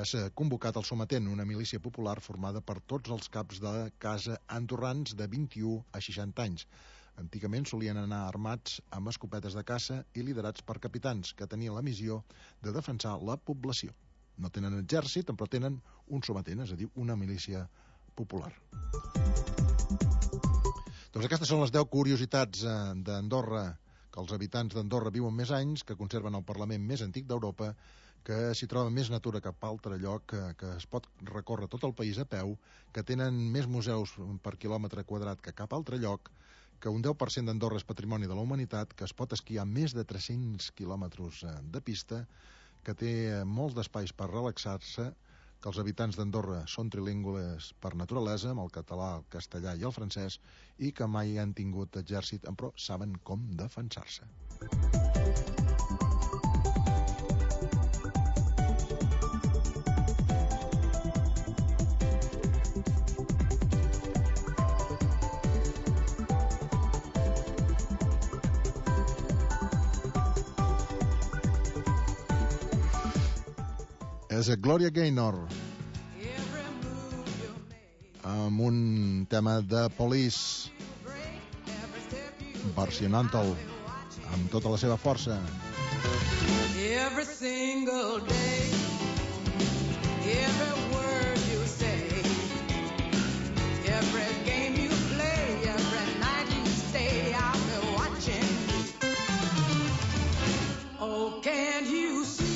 és convocat el sometent, una milícia popular formada per tots els caps de casa andorrans de vint-i-u a seixanta anys. Antigament solien anar armats amb escopetes de caça i liderats per capitans que tenien la missió de defensar la població. No tenen exèrcit, però tenen un sometent, és a dir, una milícia popular. Doncs aquestes són les deu curiositats eh, d'Andorra, que els habitants d'Andorra viuen més anys, que conserven el Parlament més antic d'Europa, que s'hi troba més natura que cap altre lloc, que, que es pot recórrer tot el país a peu, que tenen més museus per quilòmetre quadrat que cap altre lloc, que un deu per cent d'Andorra és patrimoni de la humanitat, que es pot esquiar més de tres-cents quilòmetres de pista, que té molts d'espais per relaxar-se, que els habitants d'Andorra són trilingües per naturalesa, amb el català, el castellà i el francès, i que mai han tingut exèrcit, però saben com defensar-se. És Gloria Gaynor amb un tema de Police versionant-el amb tota la seva força. Every single day, every word you say, every game you play, every night you stay, I'll be watching. Oh, can't you see?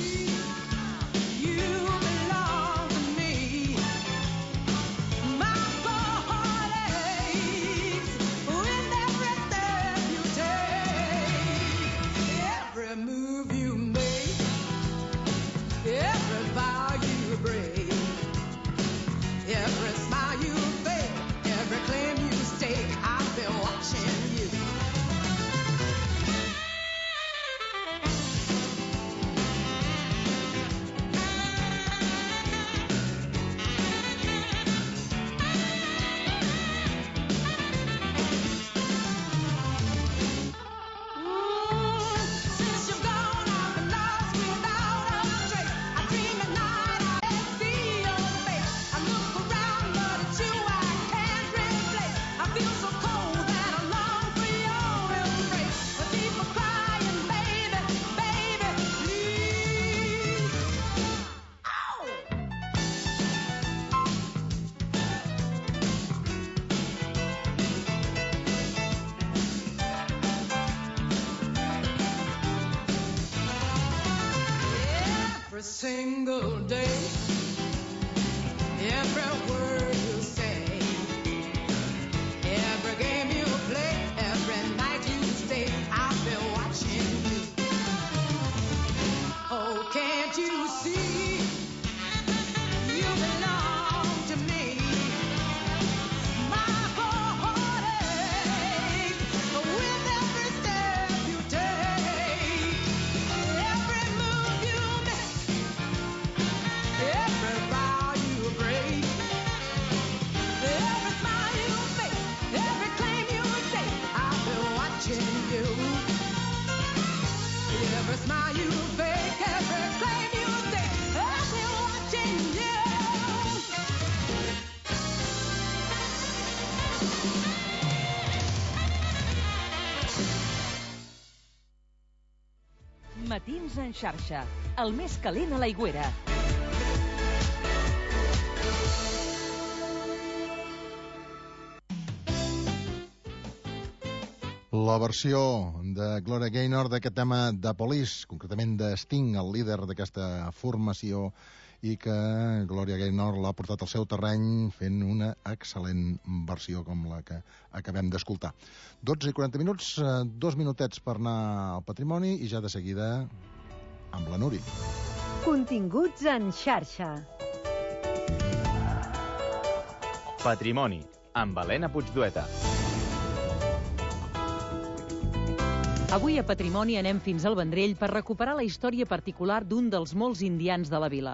Move you make, every vow you break. Matins en xarxa, el més calent a l'Aigüera. La versió de Gloria Gaynor d'aquest tema de Police, concretament de Sting, el líder d'aquesta formació, i que Gloria Gaynor l'ha portat al seu terreny fent una excel·lent versió com la que acabem d'escoltar. dotze i quaranta minuts, dos minutets per anar al patrimoni i ja de seguida amb la Núria. Continguts en xarxa. Patrimoni, amb Helena Puigdueta. Avui a Patrimoni anem fins al Vendrell per recuperar la història particular d'un dels molts indians de la vila.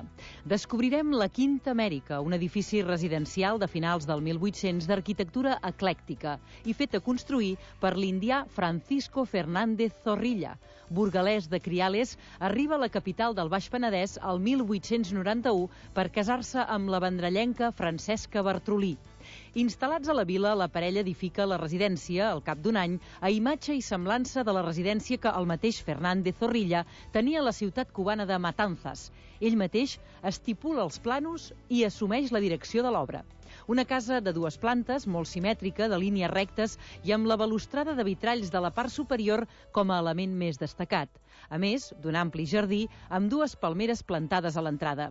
Descobrirem la Quinta Amèrica, un edifici residencial de finals del mil vuit-cents d'arquitectura eclèctica i fet a construir per l'indià Francisco Fernández Zorrilla. Burgalès de Criales, arriba a la capital del Baix Penedès el mil vuit-cents noranta-u per casar-se amb la vendrellenca Francesca Bartrolí. Instal·lats a la vila, la parella edifica la residència, al cap d'un any, a imatge i semblança de la residència que el mateix Fernández Zorrilla tenia a la ciutat cubana de Matanzas. Ell mateix estipula els planos i assumeix la direcció de l'obra. Una casa de dues plantes, molt simètrica, de línies rectes i amb la balustrada de vitralls de la part superior com a element més destacat. A més, d'un ampli jardí amb dues palmeres plantades a l'entrada.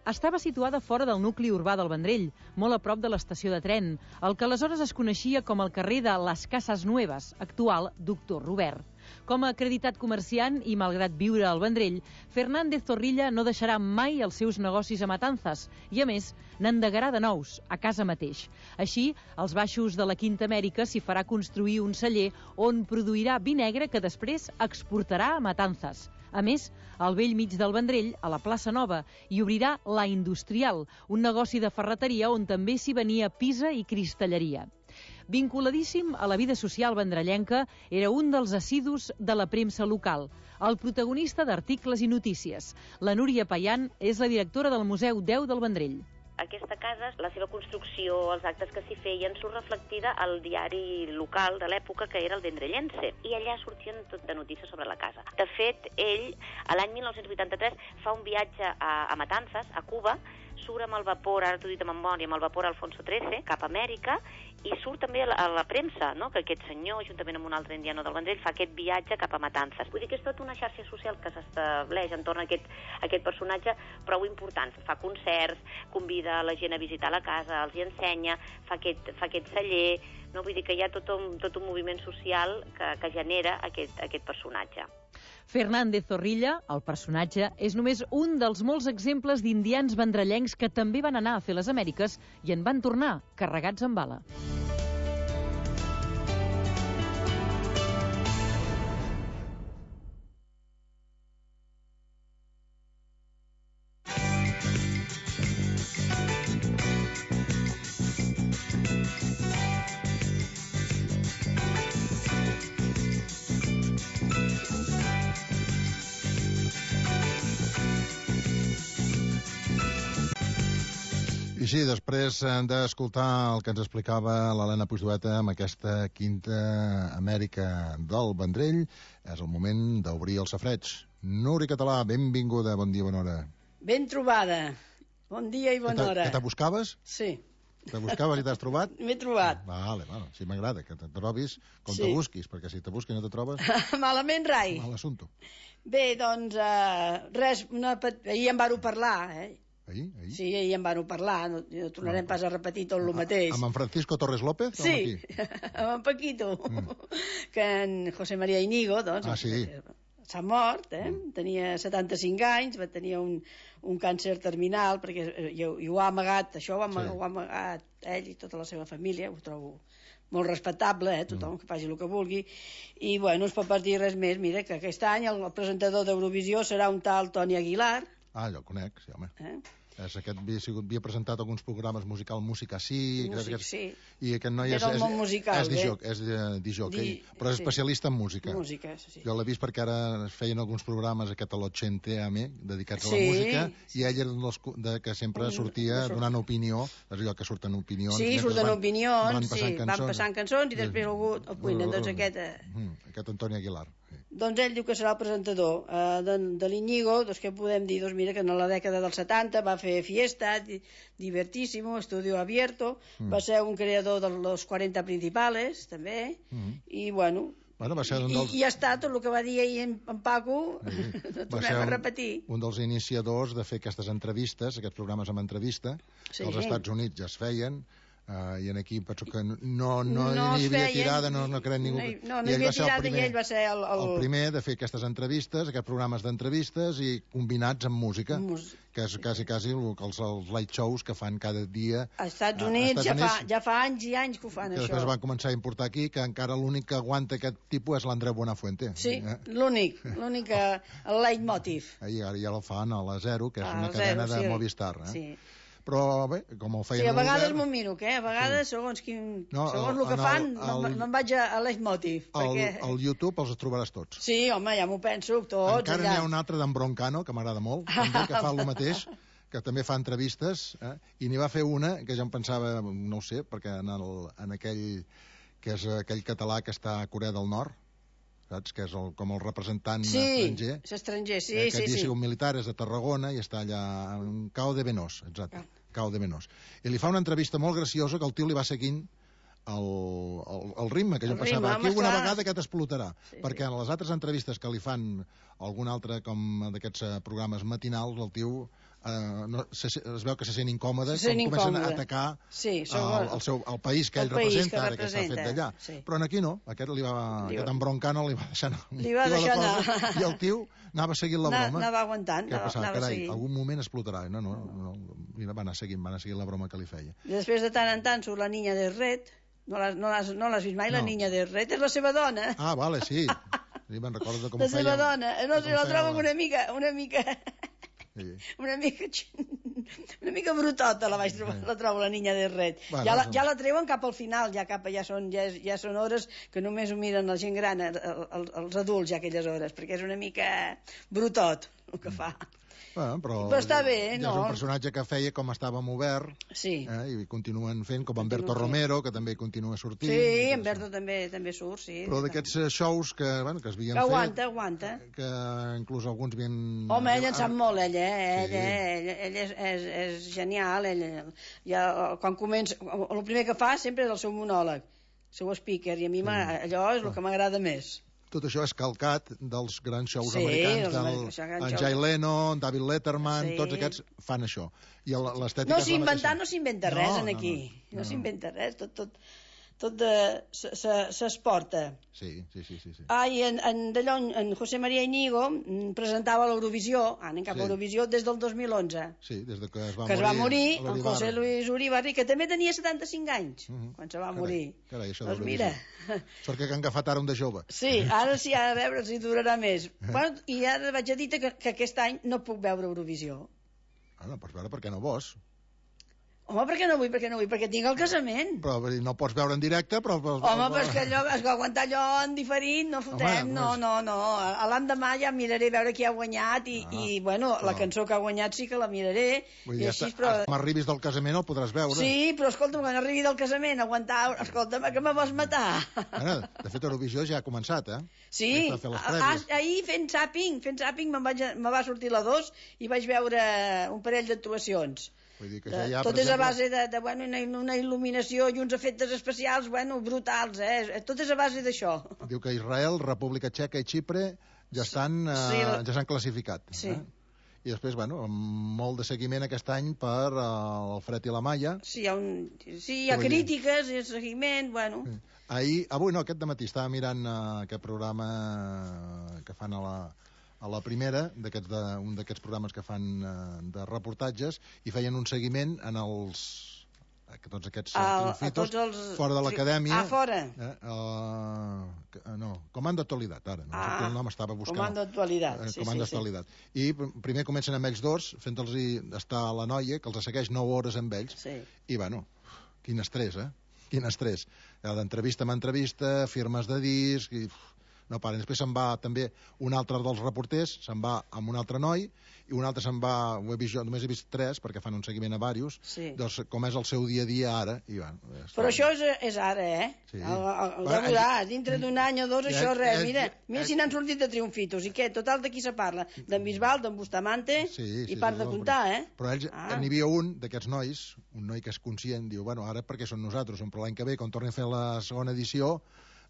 Estava situada fora del nucli urbà del Vendrell, molt a prop de l'estació de tren, el que aleshores es coneixia com el carrer de les Cases Nueves, actual Doctor Robert. Com a acreditat comerciant i malgrat viure al Vendrell, Fernández Zorrilla no deixarà mai els seus negocis a Matanzas i, a més, n'endegarà de nous, a casa mateix. Així, als baixos de la Quinta Amèrica s'hi farà construir un celler on produirà vi negre que després exportarà a Matanzas. A més, al vell mig del Vendrell, a la plaça Nova, hi obrirà La Industrial, un negoci de ferreteria on també s'hi venia pisa i cristalleria. Vinculadíssim a la vida social vendrellenca, era un dels assidus de la premsa local, el protagonista d'articles i notícies. La Núria Paian és la directora del Museu deu del Vendrell. Aquesta casa, la seva construcció, els actes que s'hi feien, surt reflectida al diari local de l'època, que era el Vendrellense, i allà sortien tot de notícies sobre la casa. De fet, ell, a l'any mil nou-cents vuitanta-tres, fa un viatge a, a Matanzas, a Cuba, surt amb el vapor, ara t'ho he dit de memòria, amb el vapor Alfonso trece, cap a Amèrica, i surt també a la, a la premsa, no?, que aquest senyor, juntament amb un altre indiano del Vendrell, fa aquest viatge cap a Matanzas. Vull dir que és tota una xarxa social que s'estableix entorn a aquest, a aquest personatge prou important. Fa concerts, convida la gent a visitar la casa, els hi ensenya, fa aquest, fa aquest celler, no? Vull dir que hi ha tot un, tot un moviment social que, que genera aquest, aquest personatge. Fernández Zorrilla, el personatge, és només un dels molts exemples d'indians vendrellencs que també van anar a fer les Amèriques i en van tornar carregats amb bala. I sí, després d'escoltar el que ens explicava l'Helena Puigdueta amb aquesta Quinta Amèrica del Vendrell, és el moment d'obrir el safareig. Núria Català, benvinguda, bon dia, bona hora. Ben trobada, bon dia i bona hora. Que te buscaves? Sí. Te buscaves i t'has trobat? M'he trobat. Vale, bueno, sí m'agrada que te trobis com Sí. te busquis, perquè si te busquis i no te trobes... Malament rai. Mal assumpte. Bé, doncs, uh, res, una pet... ahir en vàreu parlar, eh? Ahir? Ahir? Sí, ahir en vàreu parlar, no, no tornarem pas a repetir tot el mateix. Amb en Francisco Torres López? o Sí, amb qui? amb en Paquito, mm. que en José María Íñigo, doncs, Ah, sí. s'ha mort, eh? Mm. Tenia setanta-cinc anys, va tenir un, un càncer terminal, perquè i, i ho ha amagat, això ho ha, sí. ho ha amagat ell i tota la seva família, ho trobo molt respectable, eh? Tothom mm. que faci el que vulgui, i bueno, no es pot pas dir res més. Mira, que aquest any el, el presentador d'Eurovisió serà un tal Toni Aguilar. Ah, jo el conec, sí, home. Eh? És aquest, havia, sigut, havia presentat alguns programes musical, Música Sí, Músic, aquest, sí. i aquest noi és, Del és, món musical, és, eh? disjoc, és disjockey, Di- però és sí. especialista en música. Música, sí. Jo l'he vist perquè ara es feien alguns programes aquest a l'Ochente A M E, dedicats a la Sí, música, i ell era un dels cu- de, que sempre Mm, sortia no surt. donant opinió, és allò que surten opinions. Sí, mentre surten van- opinions, van sí, passant van cançons. passant cançons i després algú el cuina, doncs aquest... Eh, Mm, aquest Antoni Aguilar. Sí. Doncs ell diu que serà el presentador. Uh, de de l'Iñigo, doncs què podem dir? Doncs mira que en la dècada dels setanta va fer Fiesta, di Divertísimo, Estudio Abierto, mm. va ser un creador de los quaranta principales, també, mm. i bueno... Bueno, va ser un dels... I, I ha estat tot el que va dir ahir en, en Paco, sí. no tornem a repetir. Un, un dels iniciadors de fer aquestes entrevistes, aquests programes amb entrevista, sí. que als Estats Units ja es feien, uh, i en aquí penso que no, no, no, no hi havia feien, tirada, no, no crec ningú... No, no hi havia tirada primer, i ell va ser el, el... el primer de fer aquestes entrevistes, aquests programes d'entrevistes i combinats amb música. Mus... que és quasi, quasi els, els light shows que fan cada dia als Estats Units, ja, Units fa, ja fa anys i anys que ho fan, que això. Després van començar a importar aquí, que encara l'únic que aguanta aquest tipus és l'Andreu Buenafuente. Sí, eh? l'únic, l'únic, el leitmotiv. I ara ja el fan a la Zero, que és a una cadena zero, de sí. Movistar. Eh? Sí. Però bé, com ho feien... Sí, a vegades m'ho miro, que a vegades, sí. segons, quin, no, segons el que fan, el, el, no, no em vaig a leitmotiv. Al perquè... el YouTube els trobaràs tots. Sí, home, ja m'ho penso, tots. Encara n'hi ha un altre d'en Broncano, que m'agrada molt, també, que fa el mateix, que també fa entrevistes, eh? I n'hi va fer una, que ja em pensava, no ho sé, perquè en, el, en aquell, que és aquell català que està a Corea del Nord, saps? Que és el, com el representant sí, estranger. Sí, és estranger, sí, eh, sí, que sí. diu militar, és de Tarragona i està allà en Cao de Venós, exacte, ah. Cao de Venós. I li fa una entrevista molt graciosa que el tio li va seguint el, el, el ritme, que jo el pensava, ritme, aquí una vegada que t'explotarà, sí, perquè sí. En les altres entrevistes que li fan algun altre com d'aquests programes matinals, el tio Uh, no, se, es veu que se sent incòmode se sent quan comencen incòmode. a atacar sí, el, el, seu, el país que ell país representa, que ara que està fet d'allà. Sí. Però aquí no, aquest, li va, li aquest embroncano li va deixar, li va deixar anar. Cosa, i el tio anava seguint la broma. Anava aguantant. Què passava? Anava Carai, algun moment explotarà. No, no, no, no, va anar seguint, va anar seguint la broma que li feia. I després de tant en tant surt la niña de Red. No l'has no no vist mai, no. La niña de Red? És la seva dona. Ah, vale, sí. Sí, me'n recordo com la ho feia. La seva dona. No sé, la trobo una mica... Una mica... Sí. Una mica una mica brutota la vaig trobar, la trobo la niña de Red. Bueno, ja, la, ja la treuen cap al final, ja cap ja són, ja, ja són hores que només ho miren la gent gran, els, els adults ja aquelles hores, perquè és una mica brutot el que fa. Bueno, però, però està bé, ja no? És un personatge que feia com estàvem obert, sí. eh, i continuen fent, com Humberto Romero, que també continua sortint. Sí, Humberto també, també surt, sí. Però d'aquests shows que, bueno, que es havien que fet... Aguanta, aguanta. Que inclús alguns havien... Home, ell en sap molt, ell, eh? Ell, sí. eh? ell, ell és, és, és genial, ell, ja, quan comença... El primer que fa sempre és el seu monòleg, el seu speaker, i a mi sí. allò és el que m'agrada més. Tot això és calcat dels grans shows sí, americans, del, en Jay Leno, en David Letterman, sí. Tots aquests fan això. I l'estètica no s'inventa, no s'inventa res en aquí, no, no, no s'inventa res, tot, tot, tot s'exporta. Sí, sí, sí, sí, sí. Ah, i en, en, d'allò, en José María Íñigo presentava l'Eurovisió, anem cap a l'Eurovisió, des del dos mil onze. Sí, des de que es va que morir. Que es va morir, el José Luis Uribarri, que també tenia setanta-cinc anys, uh -huh. quan se va carai, morir. Carai, això doncs mira... Sort que han agafat ara un de jove. Sí, ara sí, a veure si durarà més. Bueno, i ara vaig a dir que, que aquest any no puc veure Eurovisió. Ah, no pots veure perquè no vols. Home, per què no vull, per què no vull? Perquè tinc el casament. Però no pots veure en directe, però... però Home, però és que allò, és que aguantar allò en diferit, no fotem, Home, no, no, no. A l'endemà ja miraré veure qui ha guanyat i, ah, i bueno, però... la cançó que ha guanyat sí que la miraré. Vull dir, i així, però... quan arribis del casament el podràs veure. Sí, però escolta'm, quan arribi del casament, aguantar... Escolta'm, que me vols matar? Bueno, de fet, Eurovisió ja ha començat, eh? Sí, a, ahir fent zàping, fent zàping me, vaig, me va sortir la dos i vaig veure un parell d'actuacions. Vull dir que ja hi ha, tot és a base de, de bueno, una, una il·luminació i uns efectes especials bueno, brutals, eh? Tot és a base d'això. Diu que Israel, República Txeca i Xipre ja estan sí, eh, ja s'han classificat. Sí. Eh? I després, bueno, molt de seguiment aquest any per uh, el Fred i la Maia. Sí, hi ha, un, sí, hi ha crítiques, hi ha seguiment, bueno... Sí. Ahir, avui no, aquest dematí estava mirant uh, aquest programa que fan a la... a la primera, d'aquests de, un d'aquests programes que fan eh, de reportatges, i feien un seguiment en els que tots aquests el, triunfitos els... fora de l'acadèmia. Ah, fora? Eh, uh, no, Comando Actualitat, ara. No ah, sé el nom estava buscant. Comando Actualitat. Eh, sí, Comando sí, Actualitat. Sí. I primer comencen amb ells dos, fent-los estar a la noia, que els segueix nou hores amb ells. Sí. I, bueno, quin estrès, eh? Quin estrès. D'entrevista amb entrevista, firmes de disc, i... no paren. Després se'n va també un altre dels reporters, se'n va amb un altre noi, i un altre se'n va, ho he vist jo, només he vist tres, perquè fan un seguiment a diversos, Sí. doncs com és el seu dia a dia ara. I, bueno, Però això és, és ara, eh? Sí. El, el, el, Va, ja veuràs, dintre d'un any o dos, Ja, això res. ja, Mira, ja, mira ja. si n'han sortit de triomfitos. I què? Total, de qui se parla? D'en Bisbal, d'en Bustamante, Sí, sí, i par sí, de sí, comptar, però, eh? Però ells, Ah. n'hi havia un d'aquests nois, un noi que és conscient, diu, bueno, ara perquè són nosaltres, però l'any que ve, quan torni a fer la segona edició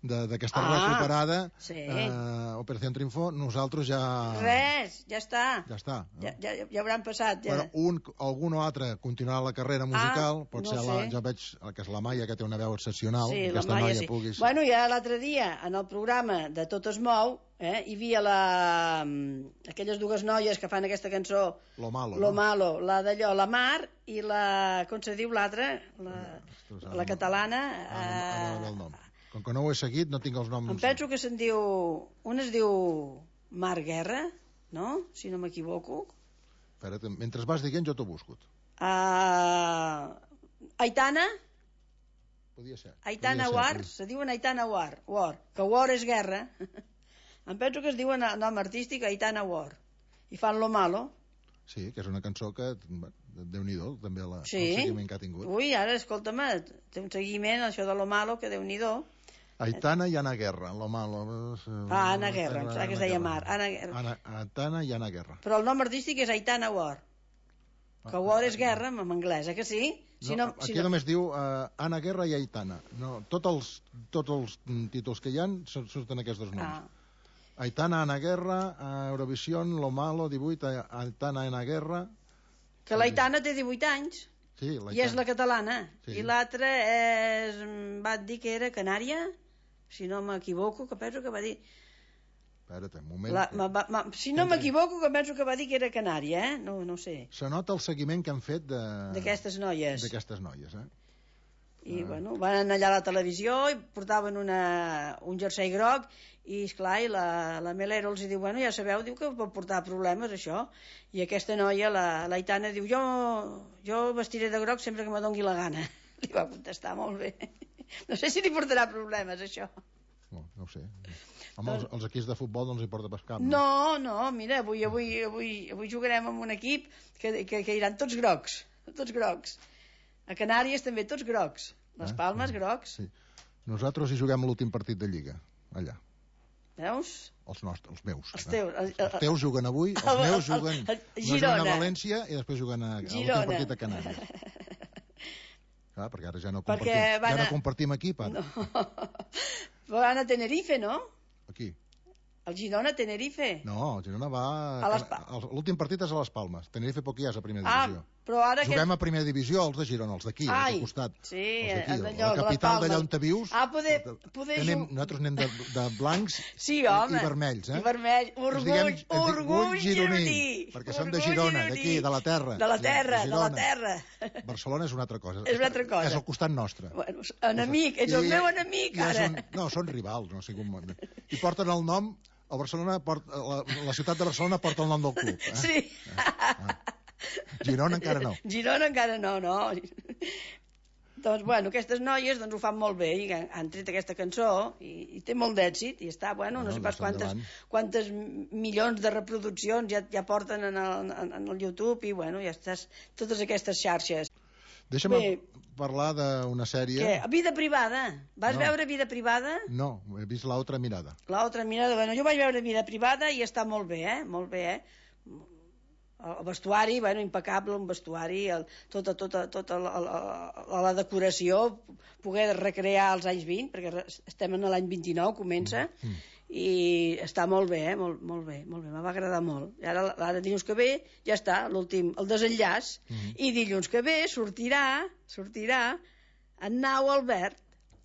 de- d'aquesta Ah, recuperada, sí. eh, Operació Triunfo, nosaltres ja... Res, ja està. Ja està. No? Ja, ja, ja hauran passat, ja. Però un, algun o altre continuarà la carrera musical, Ah, pot no ser la, sé. ja veig que és la Maia, que té una veu excepcional, Sí, la aquesta Maia, noia sí. puguis... Bueno, ja l'altre dia, en el programa de Tot es mou, eh, hi havia la... aquelles dues noies que fan aquesta cançó, Lo malo, Lo no? malo, la d'allò, la Mar, i la... com se diu l'altra? La, Ostres, la catalana... Ara, ara Eh, no ve el nom. Com que no ho he seguit, no tinc els noms... em penso que se'n diu... Una es diu Mar Guerra, no? Si no m'equivoco. Espera't, mentre vas dient, jo t'ho busco. Uh, Aitana, Podia ser. Aitana podia War, ser, se diuen Aitana War, War, que War és guerra. Em penso que es diuen a nom artístic Aitana War. I fan Lo malo. Sí, que és una cançó que, bé, Déu-n'hi-do, també la, Sí. el seguiment que ha tingut. Ui, ara, escolta'm, té un seguiment, això de Lo malo, que Déu-n'hi-do. Aitana i Ana Guerra, lo malo... eh, Ah, Anna Guerra, em sembla que es deia Guerra. Mar. Anna Guerra. Ana, Aitana i Ana Guerra. Però el nom artístic és Aitana War. Que War és guerra en anglès, eh que sí? Si No, no, aquí si no... només diu uh, Ana Guerra i Aitana. No, tots els, tots els mm, títols que hi ha sur- surten aquests dos noms. Ah. Aitana, Ana Guerra, uh, Eurovision, Lo Malo, divuit, A- Aitana, Ana Guerra... Que l'Aitana té divuit anys. Sí, I és la catalana. Sí. I l'altra és... va dir que era Canària, si no m'equivoco, que penso que va dir... Espera't, un moment. La, ma, ma, si no m'equivoco, que penso que va dir que era Canària, eh? No, no sé. Se nota el seguiment que han fet de... D'aquestes noies. D'aquestes noies, eh? I, bueno, van anar allà a la televisió i portaven una, un jersei groc i, esclar, i la, la Melero els diu, bueno, ja sabeu, diu que pot portar problemes, això. I aquesta noia, la, la Aitana, diu, jo, jo vestiré de groc sempre que me dongui la gana. Li va contestar, molt bé. No sé si li portarà problemes, això. No, no ho sé. Home, els, els equips de futbol no els hi porta pas cap. No, no, mira, avui, avui, avui, avui jugarem amb un equip que, que, que iran tots grocs, tots grocs. A Canàries també tots grocs. Les Eh? Palmes, grocs. Sí. Nosaltres hi juguem l'últim partit de Lliga, allà. Veus? Els nostres, els meus. Els eh? teus. El, el, Els teus juguen avui, els el- meus el- juguen... el- no Girona. juguen a València i després juguen a, a l'últim Girona. partit a Canàries. Clar, perquè ara ja no Perquè compartim, van ja no a- compartim equip, ara. No. Van a Tenerife, no? Aquí. El Girona, Tenerife. No, el Girona va... A les Pa- el- L'últim partit és a les Palmes. Tenerife poc hi és a primera Ah, divisió. però ara Juguem que... a primera divisió, els de Girona, els d'aquí, els Ai, del costat. sí, els d'aquí, el d'allò, la de les capital Palmes. d'allà on te vius. Ah, poder, poder Anem, jugar... nosaltres anem de, de blancs Sí, i, home. i vermells, eh? I vermell. Ens Orgull, diguem- ens dic- orgull gironí, gironí. perquè som de Orgull Girona, gironí. d'aquí, de la terra. De la terra, de, la Girona. terra. Barcelona és una altra cosa. És una altra cosa. És al costat nostre. Bueno, enemic, ets el I- meu enemic, i és ara. Un, no, són rivals, no sé com... I porten el nom... El Barcelona porta, la, la ciutat de Barcelona porta el nom del club. Eh? Sí. Ah. Girona encara no. Girona encara no, no. Doncs, bueno, aquestes noies doncs, ho fan molt bé i han, han tret aquesta cançó i, i té molt d'èxit i està, bueno, no, No, sé pas doncs quantes, endavant. quantes milions de reproduccions ja, ja porten en el, en, en el YouTube i, bueno, ja estàs totes aquestes xarxes. Deixa'm Bé. parlar d'una sèrie... Què? Vida privada. Vas No. veure Vida privada? No, he vist l'altra mirada. L'altra mirada, bueno, jo vaig veure Vida privada i està molt bé, eh? Molt bé, eh? El vestuari, bueno, impecable, un vestuari, el, tota, tota, tota la, la, la, la decoració, poder recrear els anys vint, perquè re- estem en l'any vint-i-nou, comença, Mm. i està molt bé, eh? Molt, molt bé, molt bé, me va agradar molt. I ara, ara dilluns que ve, ja està, l'últim, el desenllaç, Mm. i dilluns que ve sortirà, sortirà en Nau Albert,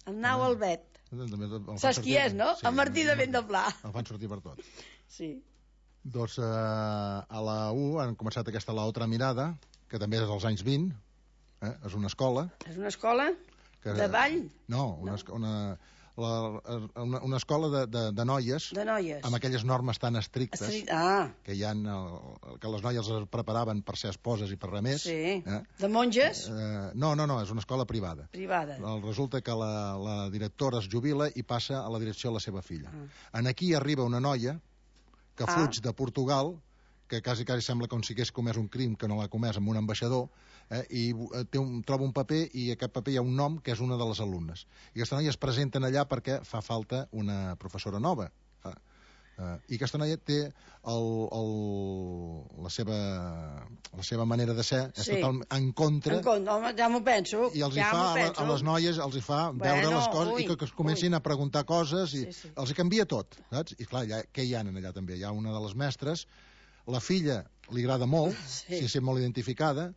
en Nau Ah. Albert. També el fan Saps qui sortir- és, no? Sí, En Martí de Ventdoblà. El fan sortir per tot. Sí. Doncs eh, a la U han començat aquesta l'altra mirada, que també és dels anys vint, eh? És una escola. És una escola Que, de ball? No, una, no. una, la, una, una escola de, de, de noies, de noies amb aquelles normes tan estrictes Estri... ah. que hi ha, que les noies es preparaven per ser esposes i per res més. Sí. Eh? De monges? Eh, no, no, no, és una escola privada. Privada. Resulta que la, la directora es jubila i passa a la direcció de la seva filla. Ah. En aquí arriba una noia que ah. fuig de Portugal, que quasi, quasi sembla com si hagués comès un crim que no l'ha comès amb un ambaixador, eh, i té un, troba un paper i a aquest paper hi ha un nom que és una de les alumnes. I aquesta noia es presenten allà perquè fa falta una professora nova. Eh, eh, I aquesta noia té el, el, la, seva, la seva manera de ser, és sí. totalment en contra. En contra, home, ja m'ho penso. I els ja hi fa, a, a les noies els hi fa bueno, veure les coses ui, i que, que es comencin ui. a preguntar coses i sí, sí. els hi canvia tot, saps? I clar, ja, què hi ha allà també? Hi ha una de les mestres, la filla li agrada molt, sí. si sent molt identificada,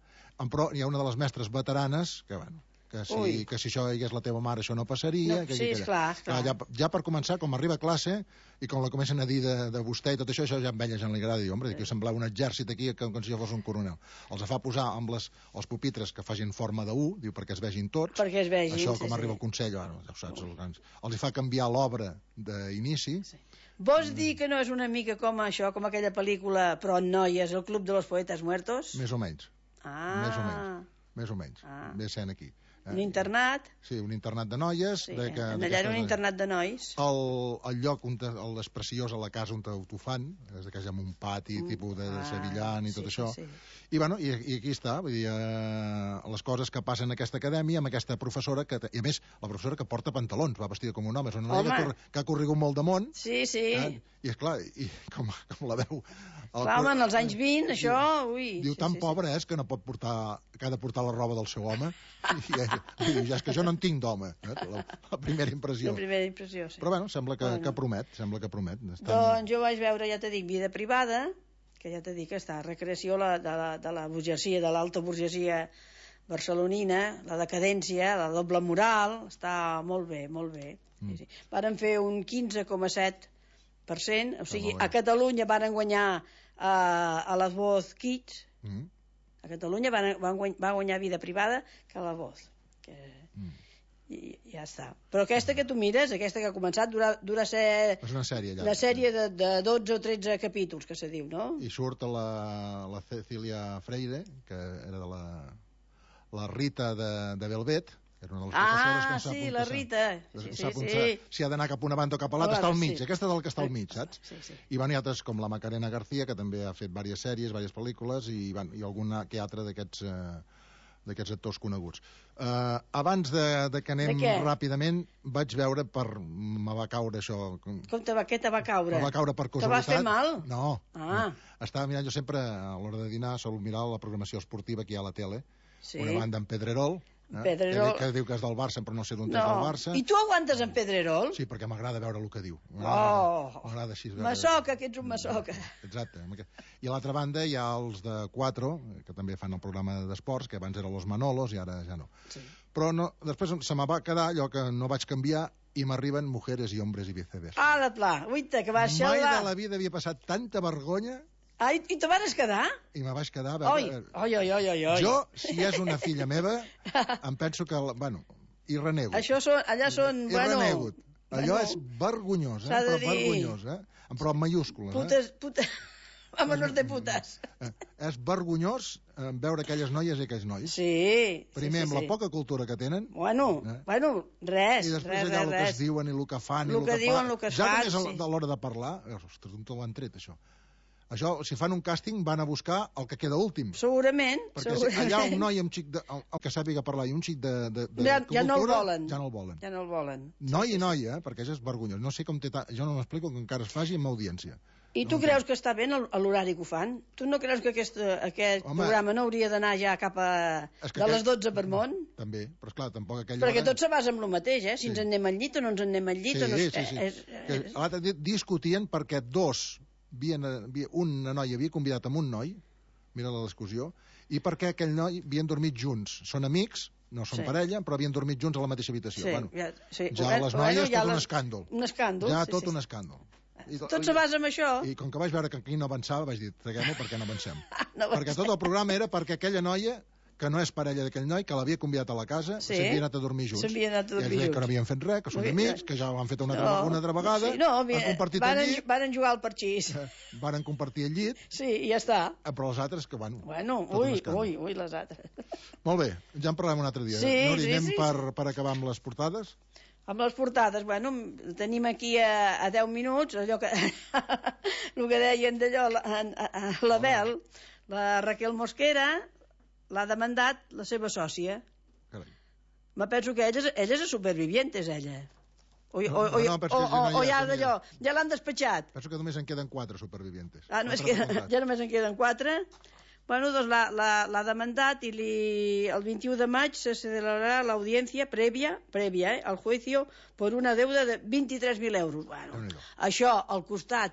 però hi ha una de les mestres veteranes que, bueno, que si, que si això hi hagués la teva mare això no passaria. No, que, sí, que, esclar, esclar. Ja, ja per començar, com arriba a classe i com la comencen a dir de, de vostè i tot això, això ja amb ella ja no li agrada. Diu, home, que semblava un exèrcit aquí com, com si jo fos un coronel. Els fa posar amb les, els pupitres que facin forma de U, diu, perquè es vegin tots. Perquè es vegin, això, sí, com sí. arriba el Consell, bueno, ja ho saps, els, els fa canviar l'obra d'inici. Sí. Vols dir que no és una mica com això, com aquella pel·lícula, però en noies, El club de los poetas muertos? Més o menys. Ah. Més o menys. Més o menys. Ah. Ve sent aquí. Eh? Un internat? Sí, un internat de noies. Sí, de que, allà era un internat de nois. El, el lloc on te, el és preciós a la casa on t'ho fan, és que hi ha un pati mm. tipus de ah, sevillan i tot sí, això. Sí, sí. I, bueno, i, i aquí està, vull dir, eh, les coses que passen en aquesta acadèmia amb aquesta professora, que, i a més, la professora que porta pantalons, va vestida com un home, és una noia que, que ha corregut molt de món. Sí, sí. Eh? I, esclar, i com, com la veu... El clar, home, en els anys vint, diu, això, ui... Diu, sí, tan sí, pobra sí. és que no pot portar, que ha de portar la roba del seu home. I, i diu, ja és que jo no en tinc d'home, eh? la, la primera impressió. La primera impressió, sí. Però, bueno, sembla que, bueno. que promet, sembla que promet. Estan... Doncs jo vaig veure, ja t'he dit, Vida privada, que ja t'he dit que està, recreació la, de, la, de la burgesia, de l'alta burgesia barcelonina, la decadència, la doble moral, està molt bé, molt bé. Mm. Sí, sí. Varen fer un quinze coma set per cent, o sigui, a Catalunya van guanyar a, a la Voz Kids, mm. a Catalunya van, van guany, va guanyar Vida privada que a la Voz. Que... Mm. I ja està. Però aquesta que tu mires, aquesta que ha començat, dura, dura ser... És una sèrie, allà. Una sèrie de, de dotze o tretze capítols, que se diu, no? I surt la, la Cecilia Freire, que era de la, la Rita de, de Velvet, que era una de les professores que no sap sí, on la Rita. Sí, sí, sap sí, sí. Si ha d'anar cap a una banda o cap a l'altra, està al mig. Sí. Aquesta és el que està al mig, saps? Sí, sí. I van, hi ha altres com la Macarena García, que també ha fet diverses sèries, diverses pel·lícules, i, van, i alguna que altra d'aquests... Eh, d'aquests actors coneguts. Uh, abans de, de que anem de ràpidament, vaig veure per... me va caure això... Com te va, què te va caure? Me va caure per casualitat. Te va fer mal? No. Ah. no. Estava mirant, jo sempre, a l'hora de dinar, sol mirar la programació esportiva que hi ha a la tele. Sí. Una banda en Pedrerol, eh? Pedrerol. Que, que diu que és del Barça, però no sé d'on no. és del Barça. I tu aguantes en Pedrerol? Sí, perquè m'agrada veure el que diu. Oh! M'agrada així. Veure... Massoca, que ets un massoca. Exacte. I a l'altra banda hi ha els de Cuatro, que també fan el programa d'esports, que abans eren los Manolos i ara ja no. Sí. Però no, després se me va quedar allò que no vaig canviar i m'arriben Mujeres i Hombres i Viceversa. Ah, la pla, uita, que vas xalar. Mai de la vida havia passat tanta vergonya. Ah, i, i te vas quedar? I me vaig quedar... A veure, oi, oi, oi, oi, oi. Jo, si és una filla meva, em penso que... Bueno, i renego. Això són, allà són... I bueno, renego. Allò bueno, és vergonyós, eh? Però dir... vergonyós, eh? Però amb mayúscules, putes, eh? Putes, Vámonos de putes. Eh, és vergonyós eh, veure aquelles noies i aquells nois. Sí. Primer, sí, sí, amb la sí. poca cultura que tenen. Bueno, eh? bueno, res. I després res, allà res, el que es diuen i el que fan. El i el que, que diuen, fa... el que es ja fan, només sí. a l'hora de parlar... Ostres, d'on te l'han tret, això? Això, si fan un càsting, van a buscar el que queda últim. Segurament. Perquè segurament. si allà un noi amb xic de, el, el que sàpiga parlar i un xic de, de, de ja, cultura, ja no el volen. Ja no el volen. Ja no el volen. Noi sí, i noia, eh? Perquè això és vergonyós. No sé com té... Ta... Jo no m'explico que encara es faci amb audiència. I tu no creus que està bé l'horari que ho fan? Tu no creus que aquest, aquest Home, programa no hauria d'anar ja cap a... de les dotze per món? També, però esclar, tampoc aquella Perquè hora... tot se basa en el mateix, eh? Si sí. ens en anem al llit o no ens en anem al llit sí, o no... Sí, sí, sí. És, és... L'altre dia discutien perquè dos... Havien, una noia havia convidat amb un noi, mira la discussió, i perquè aquell noi havien dormit junts. Són amics, no són sí. parella, però havien dormit junts a la mateixa habitació. Sí, bueno, ja, sí. ja bueno, les noies, ja tot les... un escàndol. Un escàndol, ja sí, tot sí. un escàndol. I, tot se basa en això. I com que vaig veure que aquí no avançava, vaig dir, traguem-ho perquè no avancem. no perquè tot el programa era perquè aquella noia que no és parella d'aquell noi, que l'havia convidat a la casa, Sí. s'havia anat a dormir junts. S'havien anat a dormir I ells deien junts. que no havien fet res, que són Ui, amics, que ja ho han fet una, altra, No, una altra vegada, sí, no, han mira, compartit van, el llit, van jugar al parxís. varen compartir el llit, Sí, i ja està. però els altres que, bueno... Bueno, tot un ui, escàndol. ui, ui, les altres. Molt bé, ja en parlem un altre dia. Sí, Nori, sí, anem sí, per, per acabar amb les portades? Amb les portades, bueno, tenim aquí a, a deu minuts, allò que... el que deien d'allò, la, a, a, la Bel, la Raquel Mosquera, l'ha demandat la seva sòcia. Carai. Me penso que ella, és- ella és supervivientes, ella. O, o, No, o, no, no, però és o, que si o, no o hi ha, ja si no hi ha. d'allò, ja l'han despatxat. Penso que només en queden quatre supervivientes. Ah, només Quatre queden, facultats. ja només en queden quatre. Bueno, doncs l'ha la, la demandat i li, el vint-i-u de maig se celebrarà l'audiència prèvia, prèvia eh, al juicio por una deuda de vint-i-tres mil euros. Bueno, això al costat